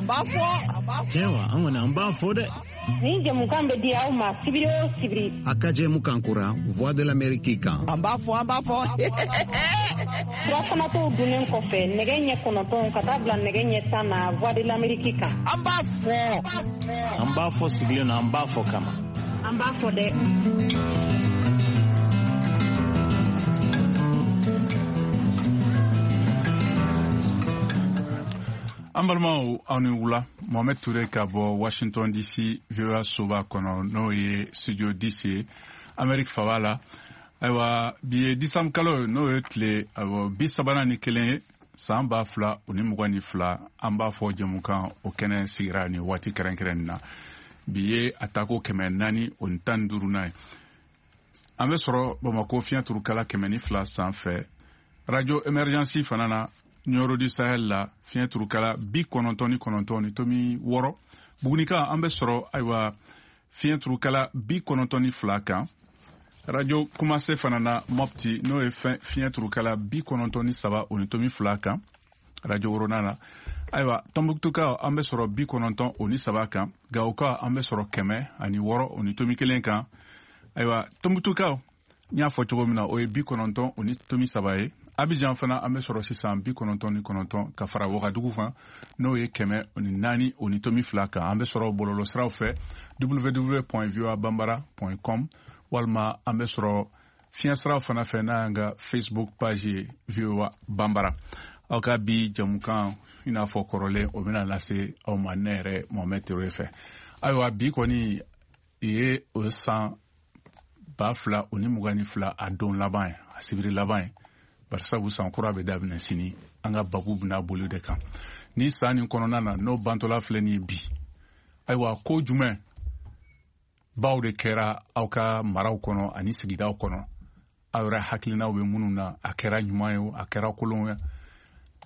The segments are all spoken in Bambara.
An b'a fɔ. Tiɲɛ wa, an kɔni an b'a fɔ dɛ. Nin jɛmukan bɛ di aw ma sibiri o sibiri. A ka jɛmukan kura Voix de l'Amérique kan. An b'a fɔ, an b'a fɔ. Surafanatɔw dunnen kɔfɛ nɛgɛ ɲɛ 9 ka taa bila nɛgɛ ɲɛ 10 na Voix de l'Amérique kan. An b'a fɔ. An b'a fɔ sigilen na, an b'a fɔ kama. An b'a fɔ dɛ. An balimaw, aw ni wula. Mohamed Touré ka bɔ Washington DC VOA soba kɔnɔ, n'o ye studio DC ye Amérique faba la. Ayiwa, bi ye disanbu kalo ye, n'o ye tile awɔ 31 ye san 2022. An b'a fɔ jɛmukan o kɛnɛ sigira nin waati kɛrɛnkɛrɛn na. Bi ye a tako 415nan ye. An bɛ sɔrɔ Bamako fiɲɛ turukala 102 sanfɛ, radio Emergence fana na Nioro du Sahel la fiɲɛ turukala 99.6. Bugunika an bɛ sɔrɔ ayiwa fiɲɛ turukala 92 kan, radio Kumase fana na Mopti, n'o ye fiɲɛ turukala 93.2 kan, radio Worona la. Ayiwa, Tɔnbukutukaw an bɛ sɔrɔ 93 kan, Gawokaw an bɛ sɔrɔ 106.1 kan. Ayiwa, Tɔnbukutukaw n y'a fɔ cogo min na, o ye 93 ye. Abidjan fana an bɛ sɔrɔ sisan 99 ka fara Wagadugu kan, n'o ye 104.2 kan. An bɛ sɔrɔ bɔlɔlɔsiraw fɛ www.voabambara.com, walima an bɛ sɔrɔ fiɲɛsiraw fana fɛ n'a y'an ka Facebook page ye VOA Bambara. Aw ka bi jɛmukan i n'a fɔ kɔrɔlen, o bɛna lase aw ma ne yɛrɛ Mohamed Touré fɛ. Ayiwa, bi kɔni ye o san 2022 a don laban ye, a sibiri laban ye, barisabu san kura bɛ daminɛ sini. An ka babu bɛna boli de kan ni san nin kɔnɔna na, n'o bantɔla filɛ nin ye bi. Ayiwa, ko jumɛn baw de kɛra aw ka maraw kɔnɔ ani sigidaw kɔnɔ, aw yɛrɛ hakilinaw bɛ minnu na, a kɛra ɲuman ye o, a kɛra kolon ye?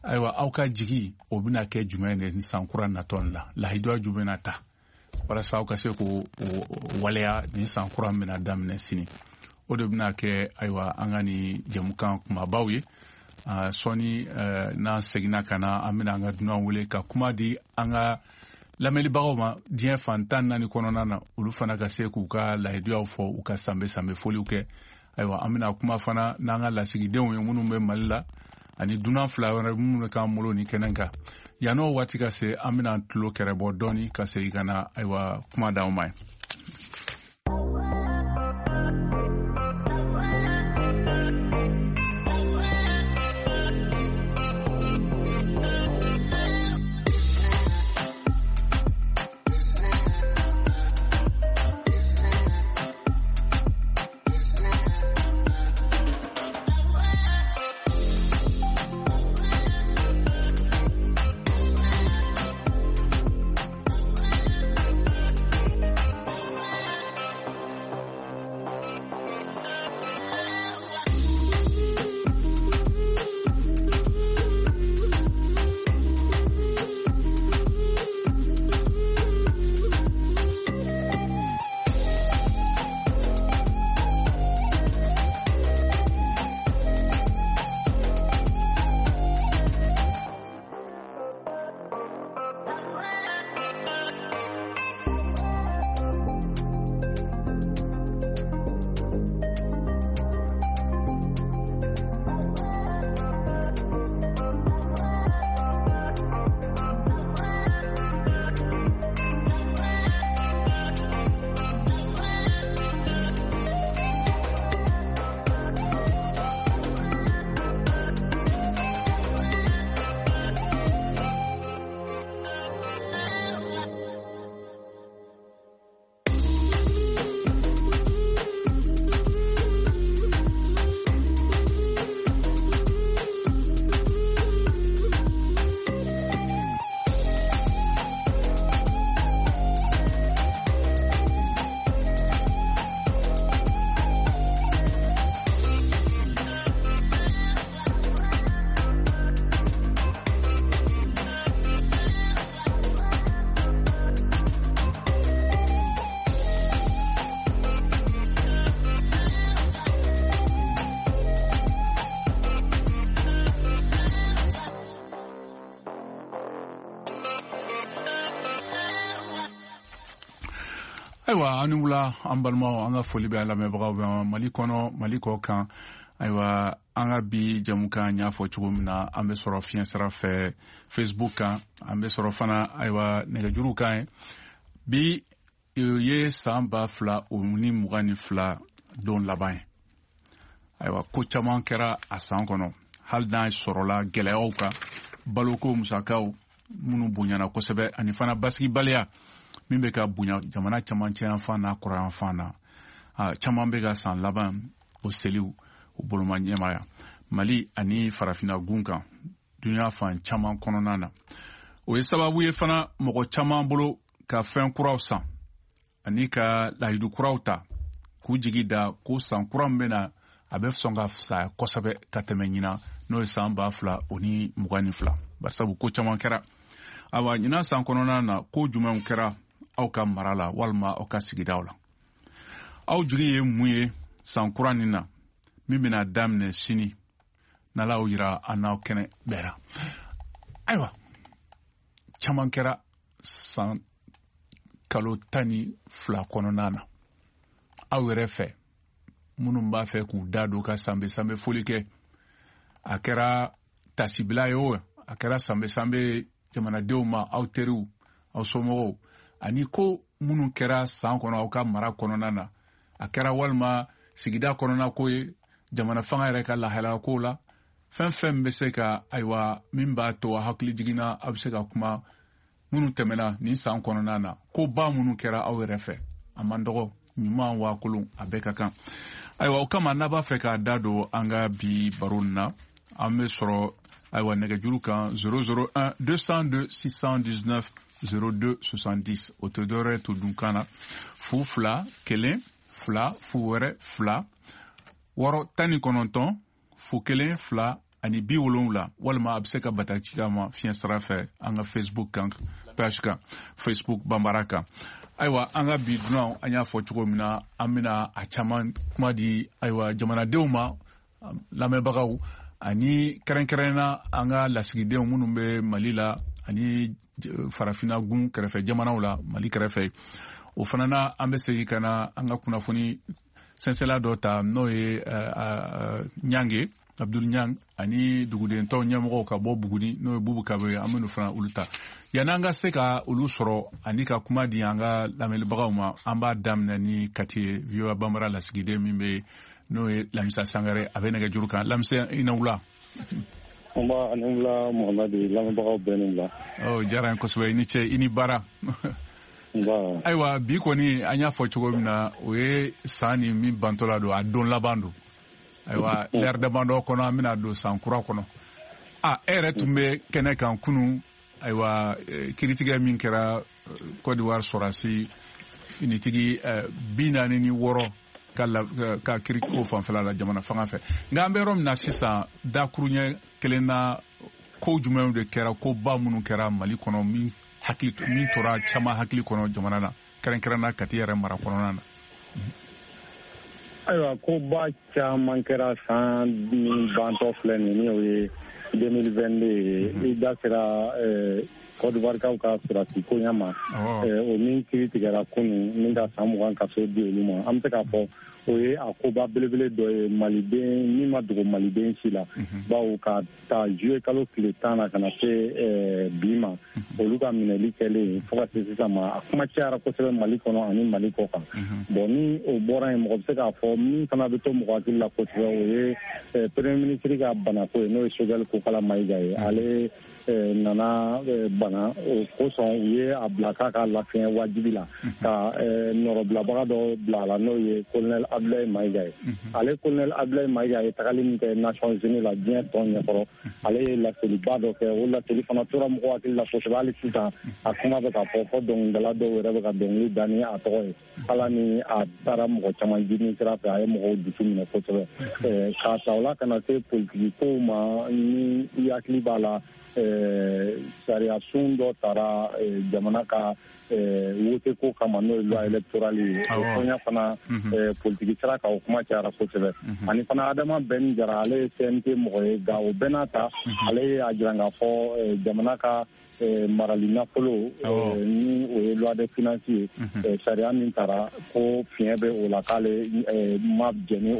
Ayiwa, aw ka jigi o bɛna kɛ jumɛn de ni san kura natɔ nin la? Lahiduya jumɛn na ta walasa aw ka se k'o waleya ni san kura bɛna daminɛ sini? O de bɛna kɛ ayiwa an ka nin jɛmukan kumabaw ye. Sɔɔni n'an seginna ka na, an bɛna an ka dunan wele ka kuma di an ka lamɛnnibagaw ma diɲɛ fan 14 kɔnɔna na, olu fana ka se k'u ka lahiduyaw fɔ, u ka sanbɛ sanbɛ foliw kɛ. Ayiwa, an bɛna kuma fana n'an ka lasigidenw ye minnu bɛ Mali la, ani dunan fila wɛrɛ minnu bɛ k'an bolo nin kɛnɛ kan. Yann'o waati ka se, an bɛna tulo kɛrɛbɔ dɔɔni ka segin ka na ayiwa kuma d'aw ma ye. Ayiwa, an ni wula, an balimaw, an ka foli bɛ an lamɛnbagaw bɛ Mali kɔnɔ, Mali kɔ kan. Ayiwa, an ka bi jamukan, y'a fɔ cogo min na, an bɛ sɔrɔ fiɲɛ sira fɛ Facebook kan, an bɛ sɔrɔ fana, ayiwa, nɛgɛjuru kan ye. Bi ye san 2022 don laban ye. Ayiwa, ko caman kɛra a san kɔnɔ, hali n'a sɔrɔla gɛlɛyaw kan, baloko musakaw minnu bonyana kosɛbɛ, ani fana basigibaliya min bɛ ka bonya jamana camancɛ yanfan n'a kɔrɔyanfan na. Caman bɛ ka san laban o seliw o boloma ɲɛmaya Mali ani Farafinna gun kan, dunuya fan caman kɔnɔna na. O ye sababu ye fana mɔgɔ caman bolo ka fɛn kuraw san ani ka lahidu kuraw ta k'u jigi da ko san kura min bɛ na, a bɛ sɔn ka fisaya kosɛbɛ ka tɛmɛ ɲinan, n'o ye san 2022, barisabu ko caman kɛra. Awa, ɲinan san kɔnɔna na, ko jumɛnw kɛra aw ka mara la walima aw ka sigidaw la? Aw jigi ye mun ye san kura nin na min bɛna daminɛ sini, n'Ala y'o yira an n'aw kɛnɛ bɛɛ la? Ayiwa, caman kɛra san kalo 12 kɔnɔna na. Aw yɛrɛ fɛ, minnu b'a fɛ k'u da don ka sanbɛ sanbɛ foli kɛ, a kɛra tasibila ye o, a kɛra sanbɛ sanbɛ jamanadenw ma, aw teriw, aw somɔgɔw, ani ko minnu kɛra san kɔnɔ aw ka mara kɔnɔna na, a kɛra walima sigida kɔnɔna ko ye, jamana fanga yɛrɛ ka lahalaya ko la, fɛn fɛn bɛ se ka, ayiwa, min b'a to a hakili jiginna, a bɛ se ka kuma minnu tɛmɛna nin san kɔnɔna na, ko ba minnu kɛra aw yɛrɛ fɛ, a man dɔgɔ, ɲuman waa kolon, a bɛɛ ka kan. Ayiwa, o kama, n'a b'a fɛ k'a da don an ka bi baro nin na, an bɛ sɔrɔ, ayiwa, nɛgɛjuru kan 001 202 619 02 70. O tɛ dɔwɛrɛ to dunkan na, 0 2 1 2 0 wɛrɛ 2 6 19 0 1 2 ani 70, walima a bɛ se ka bataki k'a ma fiɲɛ sira fɛ an ka Facebook kan, page kan, Facebook Banbara kan. Ayiwa, an ka bi dunan, an y'a fɔ cogo min na, an bɛna a caman kuma di, ayiwa, jamanadenw ma, lamɛnbagaw, ani kɛrɛnkɛrɛnna an ka lasigidenw minnu bɛ Mali la ani Farafinna gun kɛrɛfɛ jamanaw la, Mali kɛrɛfɛ. O fana na, an bɛ segin ka na an ka kunnafoni sɛnsɛla dɔ ta, n'o ye Ɲange Abdul Ɲang ani duguden tɔw ɲɛmɔgɔw ka bɔ Buguni, n'o ye Bubu Kabe ye. An bɛ fana olu ta. Yanni an ka se ka olu sɔrɔ ani ka kuma di an ka lamɛnbagaw ma, an b'a daminɛ ni Kati ye, VOA Banbara lasigiden min bɛ, n'o ye Lamisa Sangare, a bɛ nɛgɛjuru kan. Lamisa, i ni wula. Nba, ani wula Muhamadi, lamɛnbagaw bɛɛ ni wula. Ɔ, diyara n ye kosɛbɛ, i ni ce, i ni baara. Nba. Ayiwa, bi kɔni, an y'a fɔ cogo min na, o ye san ni min bantɔla don, a don laban don. Ayiwa, lɛri damadɔ kɔnɔ, an bɛna don san kura kɔnɔ. A e yɛrɛ tun bɛ kɛnɛ kan kunun. Ayiwa, kiritigɛ min kɛra Côte d'Ivoire sɔrɔdasi finitigi 46 ka kiri ko fanfɛla la jamana fanga fɛ, nka an bɛ yɔrɔ min na sisan, dakuruɲɛ kelen na, ko jumɛnw de kɛra, ko ba minnu kɛra Mali kɔnɔ, min hakili min tora caman hakili kɔnɔ jamana na, kɛrɛnkɛrɛnna Kati yɛrɛ mara kɔnɔna na? Ayiwa, ko ba caman kɛra san min bantɔ filɛ nin, ni o ye 2022 ye. I da sera Côte d'Ivoire kaw ka sɔrɔdasi koɲa ma, o min kiri tigɛra kunun, min ka san 20 kaso di olu ma. An bɛ se k'a fɔ o ye a koba belebele dɔ ye maliden min ma dogo maliden si la, bawo ka ta juillet kalo tile 10 na ka na se bi ma, olu ka minɛli kɛlen fo ka se sisan ma, a kuma cayara kosɛbɛ Mali kɔnɔ ani Mali kɔ kan. Bon, ni o bɔra yen, mɔgɔ bɛ se k'a fɔ min fana bɛ to mɔgɔ hakili la kosɛbɛ, o ye premier ministre ka banako ye, n'o ye Choguel Kokala Mayiga ye. Ale nana bana, o kosɔn u ye a bila k'a ka lafiɲɛ wajibi la, ka nɔrɔbilabaga dɔ bila a la, n'o ye colonel Abdoulaye Mayiga ye. Ale colonel Abdoulaye Mayiga ye tagali min kɛ Nations Unies la, diɲɛ tɔn ɲɛkɔrɔ, ale ye laseliba dɔ kɛ. O laseli fana tora mɔgɔ hakili la kosɛbɛ. Hali sisan a kuma bɛ ka fɔ, fɔ dɔnkilidala dɔw yɛrɛ bɛ ka dɔnkili da ni a tɔgɔ ye. Ala ni a taara mɔgɔ caman jini sira fɛ, a ye mɔgɔw dusu minɛ kosɛbɛ. K'a ta o la ka na se politiki kow ma, ni i hakili b'a la, sariya sun dɔ taara jamana ka wote ko kama, n'o ye loi électorale ye. O koɲa fana, politiki sira kan, o kuma cayara kosɛbɛ. Ani fana Adama Ben Jara, ale ye CNT mɔgɔ ye, nka o bɛɛ n'a ta, ale ye a jira k'a fɔ jamana ka Marali nafolo ni o ye loi de finance ye, sariya min taara ko fiɲɛ bɛ o la k'ale ma jɛn ni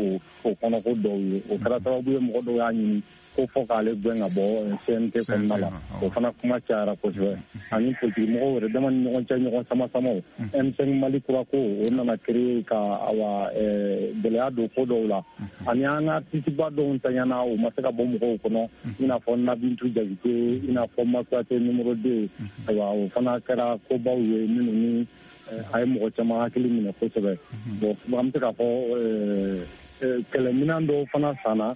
o kɔnɔko dɔw ye. O kɛra sababu ye mɔgɔ dɔw y'a ɲini ko fɔ k'ale gɛn ka bɔ CNT kɔnɔna la. O fana kuma cayara kosɛbɛ. Ani politiki mɔgɔw yɛrɛ dama ni ɲɔgɔn cɛ ɲɔgɔn sama samaw, M5 Mali kura ko o nana créer ka awa gɛlɛya don ko dɔw la. Ani an ka artiste-ba dɔw ntanyana, o ma se ka bɔ mɔgɔw kɔnɔ, i n'a fɔ Nabintu Jakite, i n'a fɔ Makuyate numéro 2. Ayiwa, o fana kɛra kobaw ye minnu ni a ye mɔgɔ caman hakili minɛ kosɛbɛ. Bon, an bɛ se k'a fɔ kɛlɛminɛn dɔw fana sanna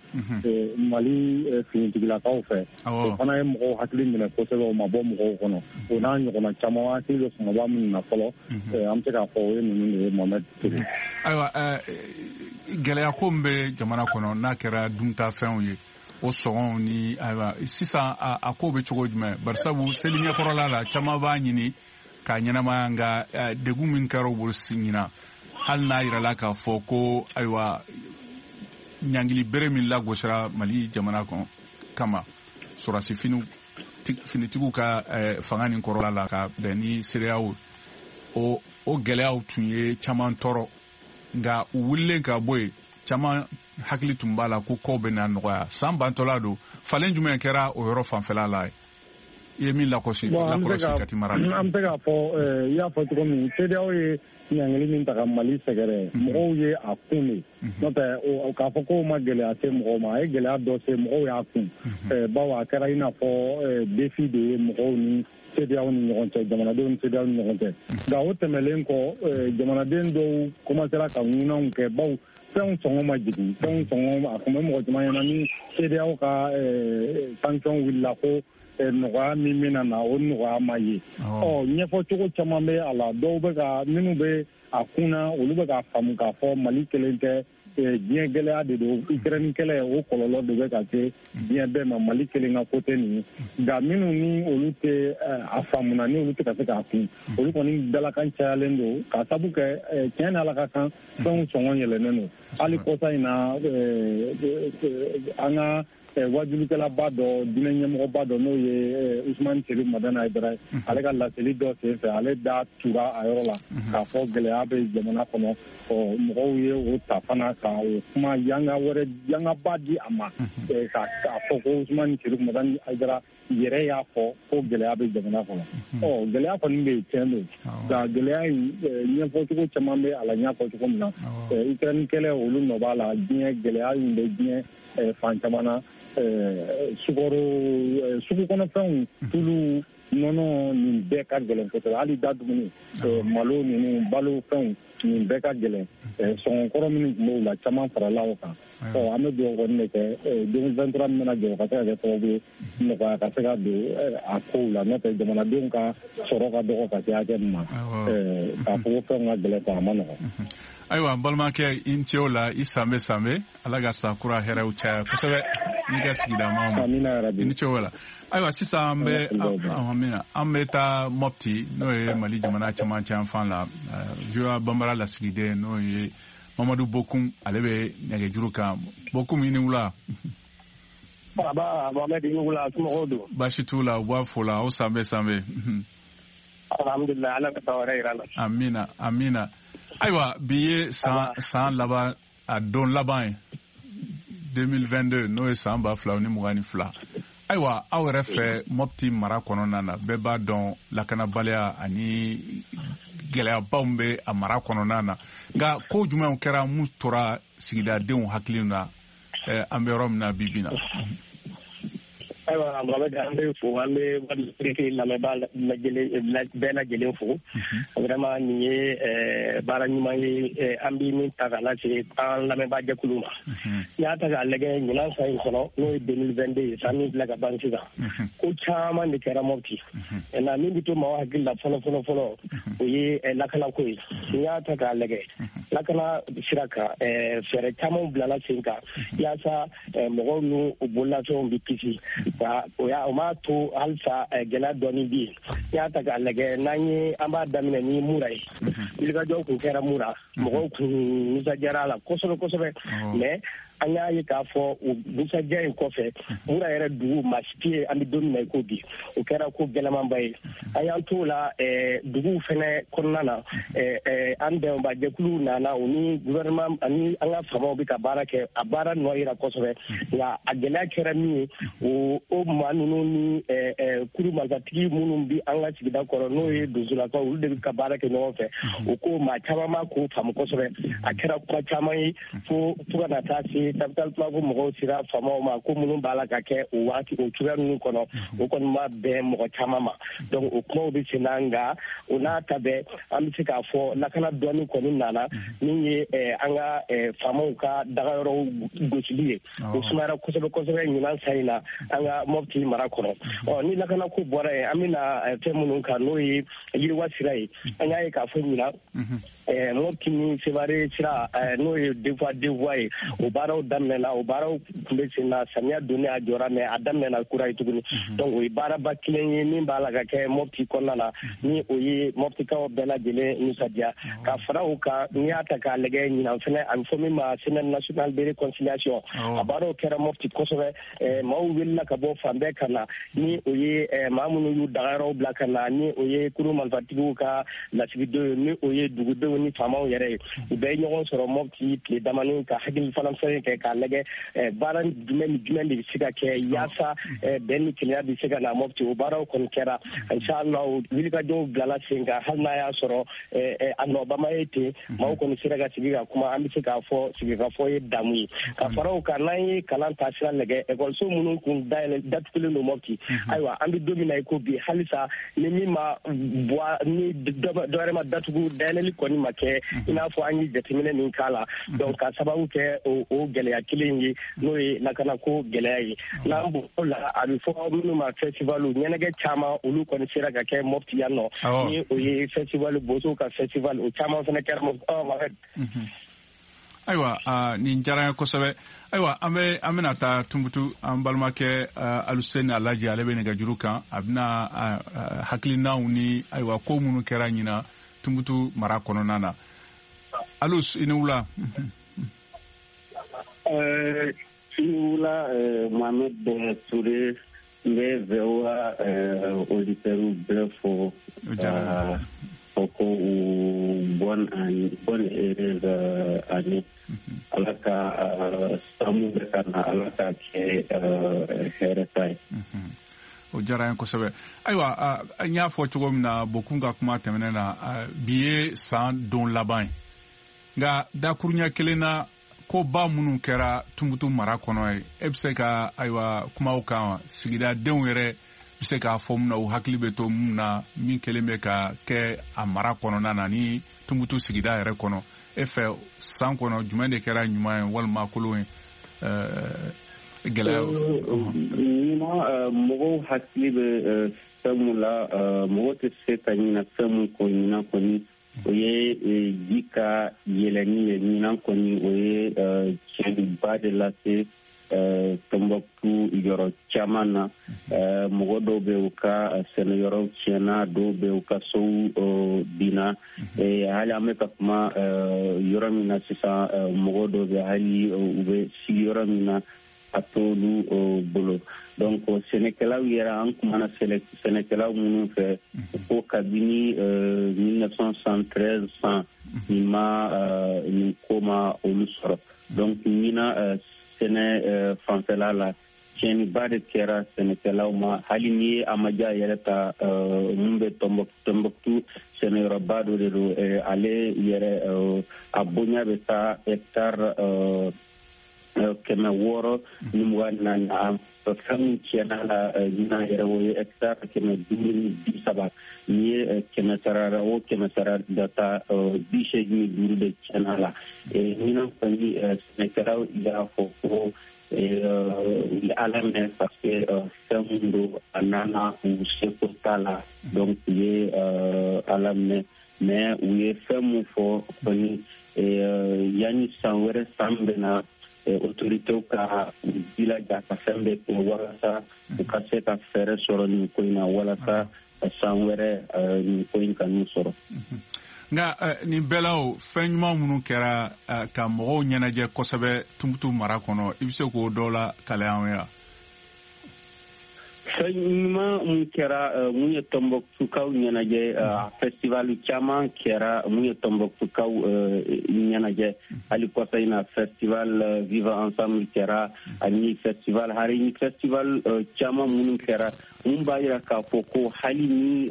Mali finitigilakaw fɛ. O fana ye mɔgɔw hakili minɛ kosɛbɛ, o ma bɔ mɔgɔw kɔnɔ. O n'a ɲɔgɔnna caman, hakili bɛ kumaba minnu na fɔlɔ, an bɛ se k'a fɔ o ye ninnu de ye, Mohamed Toure. Ayiwa, gɛlɛya ko min bɛ jamana kɔnɔ n'a kɛra duntafɛnw ye, o sɔngɔw ni ayiwa sisan a ko bɛ cogo jumɛn? Barisabu seli ɲɛkɔrɔla la, caman b'a ɲini k'a ɲɛnamaya, nka degun min kɛra u bolo ɲinan, hali n'a yirala k'a fɔ ko ayiwa ɲangili bere min lagosira Mali jamana kɔnɔ kama sɔrɔdasi finitigiw ka fanga nin kɔrɔla la ka bɛn ni CEDEAO, o gɛlɛyaw tun ye caman tɔɔrɔ. Nka u wulilen ka bɔ yen, caman hakili tun b'a la ko kow bɛna nɔgɔya. San bantɔla don, falen jumɛn kɛra o yɔrɔ fanfɛla la ye? I ye min lakɔlɔsi Kati mara la? An bɛ se k'a fɔ, i y'a fɔ cogo min, CEDEAO ye ɲangili min ta ka Mali sɛgɛrɛ, mɔgɔw ye a kun de. N'o tɛ k'a fɔ k'o ma gɛlɛya se mɔgɔw ma, a ye gɛlɛya dɔ se mɔgɔw y'a kun. Bawo a kɛra i n'a fɔ défi de ye mɔgɔw ni CEDEAO ni ɲɔgɔn cɛ, jamanadenw ni CEDEAO ni ɲɔgɔn cɛ. Nka o tɛmɛlen kɔ, jamanaden dɔw commencera ka ŋunanw kɛ, bawo fɛnw sɔngɔ ma jigin. Fɛnw sɔngɔ a tun bɛ mɔgɔ caman ɲɛna ni CEDEAO ka sanction wulila ko nɔgɔya min bɛna na, o nɔgɔya ma ye. Ɔ, ɲɛfɔcogo caman bɛ a la. Dɔw bɛ ka minnu bɛ a kunna, olu bɛ k'a faamu k'a fɔ Mali kelen tɛ, diɲɛ gɛlɛya de don, Ukraine kɛlɛ o kɔlɔlɔ de bɛ ka se diɲɛ bɛɛ ma, Mali kelen ka ko tɛ nin ye. Nka minnu ni olu tɛ a faamuna, ni olu tɛ ka se k'a kun, olu kɔni dalakan cayalen don k'a sabu kɛ tiɲɛ ni Ala ka kan, fɛnw sɔngɔ yɛlɛnnen don. Hali kɔsa in na, an ka wajulikɛlaba dɔ, diinɛ ɲɛmɔgɔba dɔ, n'o ye Usumani Seydou Madani Hayidara ye, ale ka laseli dɔ sen fɛ, ale da tura a yɔrɔ la k'a fɔ gɛlɛya bɛ jamana kɔnɔ. Ɔ, mɔgɔw ye o ta fana ka o kuma yanga wɛrɛ yangaba di a ma, k'a fɔ ko Usumani Seydou Madani Hayidara yɛrɛ y'a fɔ ko gɛlɛya bɛ jamana kɔnɔ. Ɔ, gɛlɛya kɔni bɛ yen, tiɲɛ don, nka gɛlɛya in ɲɛfɔcogo caman bɛ a la. N y'a fɔ cogo min na, Ukraine kɛlɛ olu nɔ b'a la, diɲɛ gɛlɛya in bɛ diɲɛ fan caman na. Sukaro, sugu kɔnɔfɛnw, tulu, nɔnɔ, nin bɛɛ ka gɛlɛn kosɛbɛ. Hali da dumuni, malo ninnu, balo fɛnw, nin bɛɛ ka gɛlɛn. Sɔngɔkɔrɔ minnu tun b'o la, caman farala o kan. Ɔ, an bɛ dugawu kɔni de kɛ 2023 min bɛna jɔ, o ka se ka kɛ sababu ye nɔgɔya ka se ka don a kow la. N'o tɛ, jamanadenw ka sɔrɔ ka dɔgɔ ka se hakɛ min ma, k'a fɔ ko fɛnw ka gɛlɛn a ma nɔgɔn. Ayiwa, n balimakɛ, i ni ce o la, i sanbɛ sanbɛ. Ala ka san kura hɛrɛw caya kosɛbɛ n'i ka sigida maaw ma. I ni ce o la. Ayiwa, sisan an bɛ an bɛ taa Mopti, n'o ye Mali jamana camancɛ yanfan la. VOA Bambara lasigiden, n'o ye Mamadu Bokum, ale bɛ nɛgɛjuru kan. Bokum, i ni wula. Baba Mohamed, i ni wula, somɔgɔw don? Baasi t'u la, u b'a fo la. Aw sanbɛ sanbɛ. Alhamdulilayi, Ala ka san wɛrɛ yira la. Amina, amina. Ayiwa, bi ye san laban, a don laban ye 2022, n'o ye san 2022. Ayiwa, aw yɛrɛ fɛ Mopti mara kɔnɔna na, bɛɛ b'a dɔn lakanabaliya ani gɛlɛyabaw bɛ a mara kɔnɔna na. Nka ko jumɛnw kɛra mun tora sigidadenw hakili na an bɛ yɔrɔ min na bi bi na? Ayiwa, Mohamed, an bɛ fo, an bɛ Wadi lamɛnbaa bɛɛ lajɛlen fo. Vraiment, nin ye baara ɲuman ye, an bɛ min ta k'a lase an lamɛnbaa jɛkulu ma. N'i y'a ta k'a lajɛ ɲinan san in kɔnɔ, n'o ye 2022 ye, san min filɛ ka ban sisan, ko caman de kɛra Mopti. Nka min bɛ to maaw hakili la fɔlɔ fɔlɔ fɔlɔ, o ye lakanako ye. N'i y'a ta k'a lajɛ lakana sira kan, fɛɛrɛ caman bilala sen kan yaasa mɔgɔw n'u bololafɛnw bɛ kisi. O m'a to halisa gɛlɛya dɔɔni bɛ yen. N'i y'a ta k'a lajɛ, n'an ye an b'a daminɛ ni Mura ye, wulikajɔw kun kɛra Mura, mɔgɔw kun nisɔndiyara a la kosɛbɛ kosɛbɛ. Mais An y'a ye k'a fɔ o nisɔndiya in kɔfɛ, Mura yɛrɛ dugu maa si tɛ yen an bɛ don min na i ko bi. O kɛra ko gɛlɛmanba ye. An y'an t'o la, duguw fɛnɛ kɔnɔna na, an dɛmɛbajɛkuluw nana, u ni gouvernement ani an ka faamaw bɛ ka baara kɛ. A baara nɔ yira kosɛbɛ, nka a gɛlɛya kɛra min ye, o maa ninnu ni kuru marifatigi minnu bɛ an ka sigida kɔrɔ, n'o ye donsolakaw, olu de bɛ ka baara kɛ ɲɔgɔn fɛ. O ko maa caman ma k'o faamu kosɛbɛ. A kɛra kuma caman ye fo ka na taa se Tabital Pulaaku mɔgɔw sera faamaw ma ko minnu b'a la ka kɛ o waati o cogoya ninnu kɔnɔ, o kɔni ma bɛn mɔgɔ caman ma. Donc o kumaw bɛ sen na, nka o n'a ta bɛɛ, an bɛ se k'a fɔ lakana dɔɔni kɔni nana, min ye an ka faamaw ka dagayɔrɔw gosili ye. O sumayara kosɛbɛ kosɛbɛ ɲinan san in na an ka Mɔpti mara kɔnɔ. Ɔ, ni lakanako bɔra yen, an bɛna fɛn minnu kan, n'o ye yiriwa sira ye. An y'a ye k'a fɔ ɲinan, Mɔpti ni Sevare sira, n'o ye deux voies deux voies ye, o baaraw daminɛna. O baaraw tun bɛ sen na, samiya donnen a jɔra, mais a daminɛna kura ye tuguni. Donc o ye baaraba kelen ye min b'a la ka kɛ Mɔpti kɔnɔna na, ni o ye Mɔptikaw bɛɛ lajɛlen nisɔndiya. Ka fara o kan, n'i y'a ta k'a lajɛ, ɲinan fɛnɛ, a bɛ fɔ min ma Semaine nationale de réconciliation, a baaraw kɛra Mɔpti kosɛbɛ. Maaw wulila ka bɔ fan bɛɛ ka na, ni o ye maa minnu y'u dagayɔrɔw bila ka na, ni o ye kuru marifatigiw ka lasigidenw ye, ni o ye dugudenw ni faamaw yɛrɛ ye. U bɛɛ ye ɲɔgɔn sɔrɔ Mɔpti tile damani ka hakili fana fɛn kɛ k'a lajɛ baara jumɛn ni jumɛn de bɛ se ka kɛ yaasa bɛn ni kelenya bɛ se ka na Mɔpti. O baaraw kɔni kɛra, inshallah, wulikajɔw bilala sen kan. Hali n'a y'a sɔrɔ a nɔbama ye ten, maaw kɔni sera ka sigi ka kuma. An bɛ se k'a fɔ sigikafɔ ye damu ye. Ka fara o kan, n'an ye kalan taasira lajɛ, ekɔliso minnu kun dayɛlɛ datugulen don Mɔpti, ayiwa, an bɛ don min na i ko bi, halisa ni min ma bɔ, ni dɔ wɛrɛ ma datugu, dayɛlɛli kɔni ma kɛ i n'a fɔ an ye jateminɛ min k'a la. Donc ka sababu kɛ o gɛlɛya kelen ye, n'o ye lakanako gɛlɛya ye. N'an bɔr'o la, a bɛ fɔ minnu ma festival, ɲɛnajɛ caman, olu kɔni sera ka kɛ Mɔpti yan nɔ, ni o ye festival, bosow ka festival, o caman fana kɛra Mɔpti. Ayiwa, nin diyara n ye kosɛbɛ. Ayiwa, an bɛ an bɛna taa Tunbutu, an balimakɛ Aluseni Alaji, ale bɛ nɛgɛjuru kan. A bɛna hakilinaw ni ayiwa ko minnu kɛra ɲinan Tunbutu mara kɔnɔna na. Alus, i ni wula. I ni wula, Mohamed Touré. N bɛ VOA auditeurs bɛɛ fo, fɔ ko u bonne année, bonne heureuse année. Ala ka san mun bɛ ka na, Ala ka kɛ hɛrɛ ta ye. O diyara n ye kosɛbɛ. Ayiwa, n y'a fɔ cogo min na Bokun ka kuma tɛmɛnen na, bi ye san don laban ye, nka dakuruɲɛ kelen na, koba minnu kɛra Tunbutu mara kɔnɔ ye, e bɛ se ka ayiwa kumaw kan, sigidadenw yɛrɛ bɛ se k'a fɔ mun na, u hakili bɛ to mun na, min kelen bɛ ka kɛ a mara kɔnɔna na ni Tunbutu sigida yɛrɛ kɔnɔ? E fɛ, san kɔnɔ, jumɛn de kɛra ɲuman ye walima kolon ye, gɛlɛya? Ɲinan, mɔgɔw hakili bɛ fɛn mun la, mɔgɔ tɛ se ka ɲina fɛn mun kɔ ɲinan kɔni, o ye ji ka yɛlɛnni ye. Ɲinan kɔni, o ye tiɲɛniba de lase Tɔnbɔkutu yɔrɔ caman na. Mɔgɔ dɔw bɛ, u ka sɛnɛyɔrɔw tiɲɛna, dɔw bɛ, u ka sow binna. Hali an bɛ ka kuma yɔrɔ min na sisan, mɔgɔ dɔw bɛ, hali u bɛ sigi yɔrɔ min na, a t'olu bolo. Donc sɛnɛkɛlaw yɛrɛ, an kumana sɛnɛkɛlaw minnu fɛ, ko kabini 1973 san, nin ma nin ko ma olu sɔrɔ. Donc ɲinan, sɛnɛ fanfɛla la, tiɲɛniba de kɛra sɛnɛkɛlaw ma. Hali ni ye Amaja yɛrɛ ta, mun bɛ Tɔnbɔkutu, sɛnɛyɔrɔba dɔ de don. Ale yɛrɛ, a bonya bɛ taa hectare 624. A fɛn min tiɲɛna la ɲinan yɛrɛ, o ye hectare 530. N'i ye 100 sara o 100 sara da ta, 85 de tiɲɛna la ɲinan kɔni. Sɛnɛkɛlaw y'a fɔ ko u ye Ala minɛ, parce que fɛn min don, a nana, u seko t'a la. Donc u ye Ala minɛ, mais u ye fɛn mun fɔ kɔni, yanni san wɛrɛ, san bɛ na, autorités ka u jilaja ka fɛn bɛɛ kɛ walasa u ka se ka fɛɛrɛ sɔrɔ nin ko in na, walasa san wɛrɛ nin ko in ka n'u sɔrɔ. Nka nin bɛɛ la, o fɛn ɲuman minnu kɛra ka mɔgɔw ɲɛnajɛ kosɛbɛ Tumutu mara kɔnɔ, i bɛ se k'o dɔw la kalaya an ye wa? Fɛn ɲuman mun kɛra mun ye Tɔnbɔkutukaw ɲɛnajɛ, festival caman kɛra mun ye Tɔnbɔkutukaw ɲɛnajɛ. Hali kɔsa in na, festival Vivre Ensemble kɛra, ani festival hari festival caman minnu kɛra, mun b'a yira k'a fɔ ko hali ni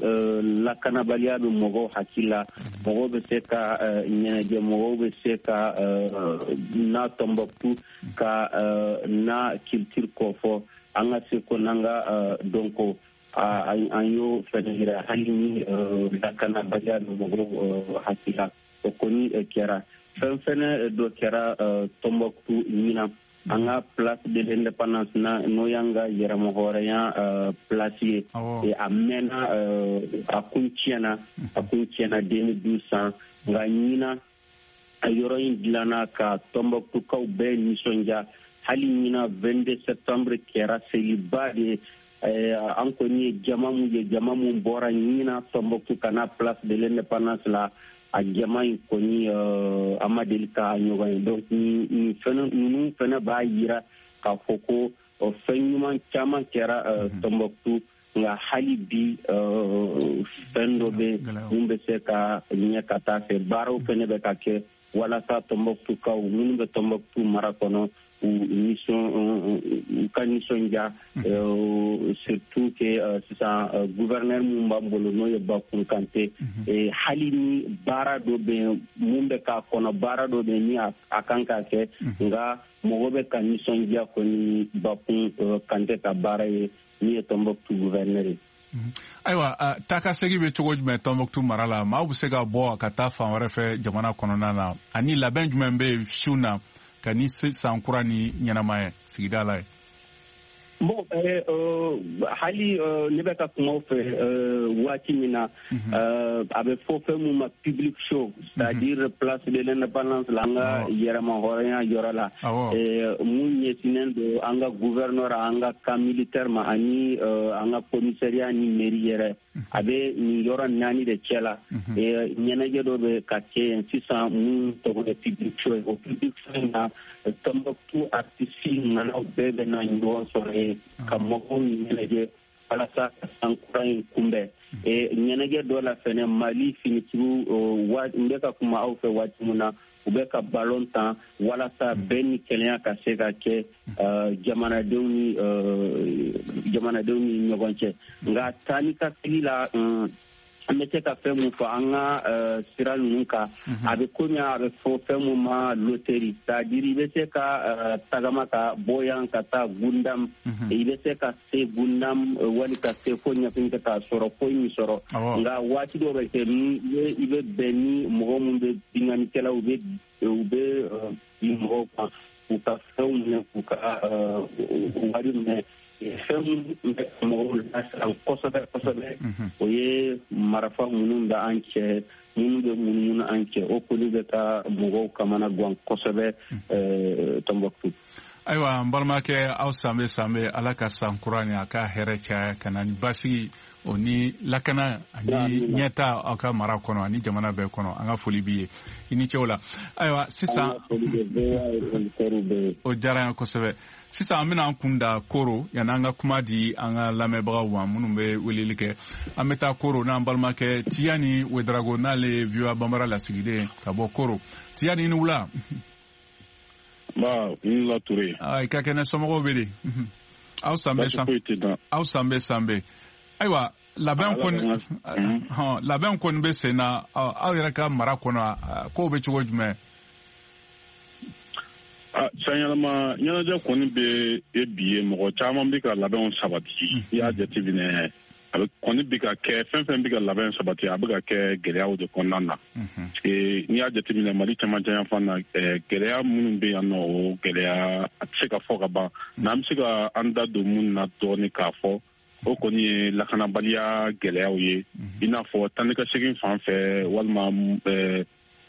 lakanabaliya bɛ mɔgɔw hakili la, mɔgɔw bɛ se ka ɲɛnajɛ, mɔgɔw bɛ se ka na Tɔnbɔkutu ka na culture kɔfɔ, an ka seko n'an ka dɔnko, an y'o fɛnɛ yira. Hali ni lakanabaliya bɛ mɔgɔw hakili la, o kɔni kɛra. Fɛn fɛnɛ dɔ kɛra Tɔnbɔkutu ɲinan, an ka Place de l'Indépendance na, n'o y'an ka yɛrɛmahɔrɔnya place ye, a mɛnna, a kun tiɲɛna 2012 san. Nka ɲinan, a yɔrɔ in dilanna ka Tɔnbɔkutukaw bɛɛ nisɔndiya. Hali ɲinan 22 septembre kɛra seliba de. An kɔni ye jama mun ye, jama mun bɔra ɲinan Tɔnbɔkutu ka na Place de l'Indépendance la, a jama in kɔni, an ma deli ka ɲɔgɔn ye. Donc nin fɛnɛ, ninnu fɛnɛ b'a yira k'a fɔ ko fɛn ɲuman caman kɛra Tɔnbɔkutu. Nka hali bi, fɛn dɔ bɛ mun bɛ se ka ɲɛ ka taa fɛ. Baaraw fɛnɛ bɛ ka kɛ walasa Tɔnbɔkutukaw minnu bɛ Tɔnbɔkutu mara kɔnɔ, u nisɔn u ka nisɔndiya, surtout que sisan gouverneur mun b'an bolo, n'o ye Bakun Kante, hali ni baara dɔ bɛ yen mun bɛ k'a kɔnɔ, baara dɔ bɛ yen ni a kan ka kɛ, nka mɔgɔ bɛ ka nisɔndiya kɔni Bakun Kante ka baara ye, min ye Tɔnbɔkutu gouverneur ye. Ayiwa, taa ka segin bɛ cogo jumɛn Tɔnbɔkutu mara la? Maaw bɛ se ka bɔ ka taa fan wɛrɛ fɛ jamana kɔnɔna na, ani labɛn jumɛn bɛ yen su na ka ni san kura ni ɲɛnamaya sigida la ye? Bon, hali ne bɛ ka kuma fɛ waati min na, a bɛ fɔ fɛn mun ma public show, c'est-à-dire Place de l'Indépendance la, an ka yɛrɛmahɔrɔnya yɔrɔ la, mun ɲɛsinnen don an ka gouverneur, an ka camp militaire ma, ani an ka commissariat ni mairie yɛrɛ. A bɛ nin yɔrɔ naani de cɛ la. Ɲɛnajɛ dɔ bɛ ka kɛ yen sisan mun tɔgɔ ye public show ye. O public show in na, Tɔnbɔkutu artiste ŋanaw bɛɛ bɛ na ɲɔgɔn sɔrɔ yen ka mɔgɔw ɲɛnajɛ walasa ka san kura in kunbɛn. Ɲɛnajɛ dɔ la fɛnɛ, Mali finitigiw, n bɛ ka kuma aw fɛ waati min na, u bɛ ka balon tan walasa bɛn ni kɛlɛya ka se ka kɛ jamanadenw ni ɲɔgɔn cɛ. Nka taa ni ka segi la, an bɛ se ka fɛn mun fɔ an ka sira ninnu kan, a bɛ komi a bɛ fɔ fɛn mun ma loterie, c'est-à-dire i bɛ se ka tagama ka bɔ yan ka taa Gundam, i bɛ se ka se Gundam wali ka se fo Ɲafinke k'a sɔrɔ foyi min sɔrɔ. Nka waati dɔ bɛ kɛ ni i bɛ bɛn ni mɔgɔ mun bɛ binkannikɛlaw, u bɛ bin mɔgɔw kan k'u ka fɛnw minɛ, k'u ka wari minɛ. Fɛn min bɛ mɔgɔw lasiran kosɛbɛ kosɛbɛ, o ye marifa minnu bɛ an cɛ, minnu bɛ munumunu an cɛ. O kɔni bɛ ka mɔgɔw kamana gan kosɛbɛ Tɔnbɔkutu. Ayiwa, n balimakɛ, aw sanbe sanbe. Ala ka san kura ni a ka hɛrɛ caya ka na ni basigi o ni lakana ani ɲɛta aw ka mara kɔnɔ ani jamana bɛɛ kɔnɔ. An ka foli b'i ye, i ni ce o la. Ayiwa, sisan o diyara an ye kosɛbɛ. Sisan an bɛna an kun da Koro. Yanni an ka kuma di an ka lamɛnbagaw ma minnu bɛ weleli kɛ, an bɛ taa Koro n'an balimakɛ Tiyani Wedarago, n'ale ye VOA Banbara lasigiden ka bɔ Koro. Tiyani, i ni wula. Ba, i ni wula, Ture. I ka kɛnɛ, somɔgɔw bɛ di? Aw sanbɛ san, aw sanbɛ sanbɛ. Ayiwa, labɛn kɔni bɛ sen na aw yɛrɛ ka mara kɔnɔ, kow bɛ cogo jumɛn? Sanyɛlɛma ɲɛnajɛ kɔni bɛ e bi ye, mɔgɔ caman bɛ ka labɛnw sabati. I y'a jateminɛ, a bɛ kɔni bɛ ka kɛ, fɛn fɛn bɛ ka labɛn sabati, a bɛ ka kɛ gɛlɛyaw de kɔnɔna na, parce que n'i y'a jateminɛ Mali cɛmancɛ yanfan na, gɛlɛya minnu bɛ yan nɔ, o gɛlɛya a tɛ se ka fɔ ka ban. N'an bɛ se ka an da don mun na dɔɔni k'a fɔ, o kɔni ye lakanabaliya gɛlɛyaw ye, i n'a fɔ tan ni ka segin fan fɛ, walima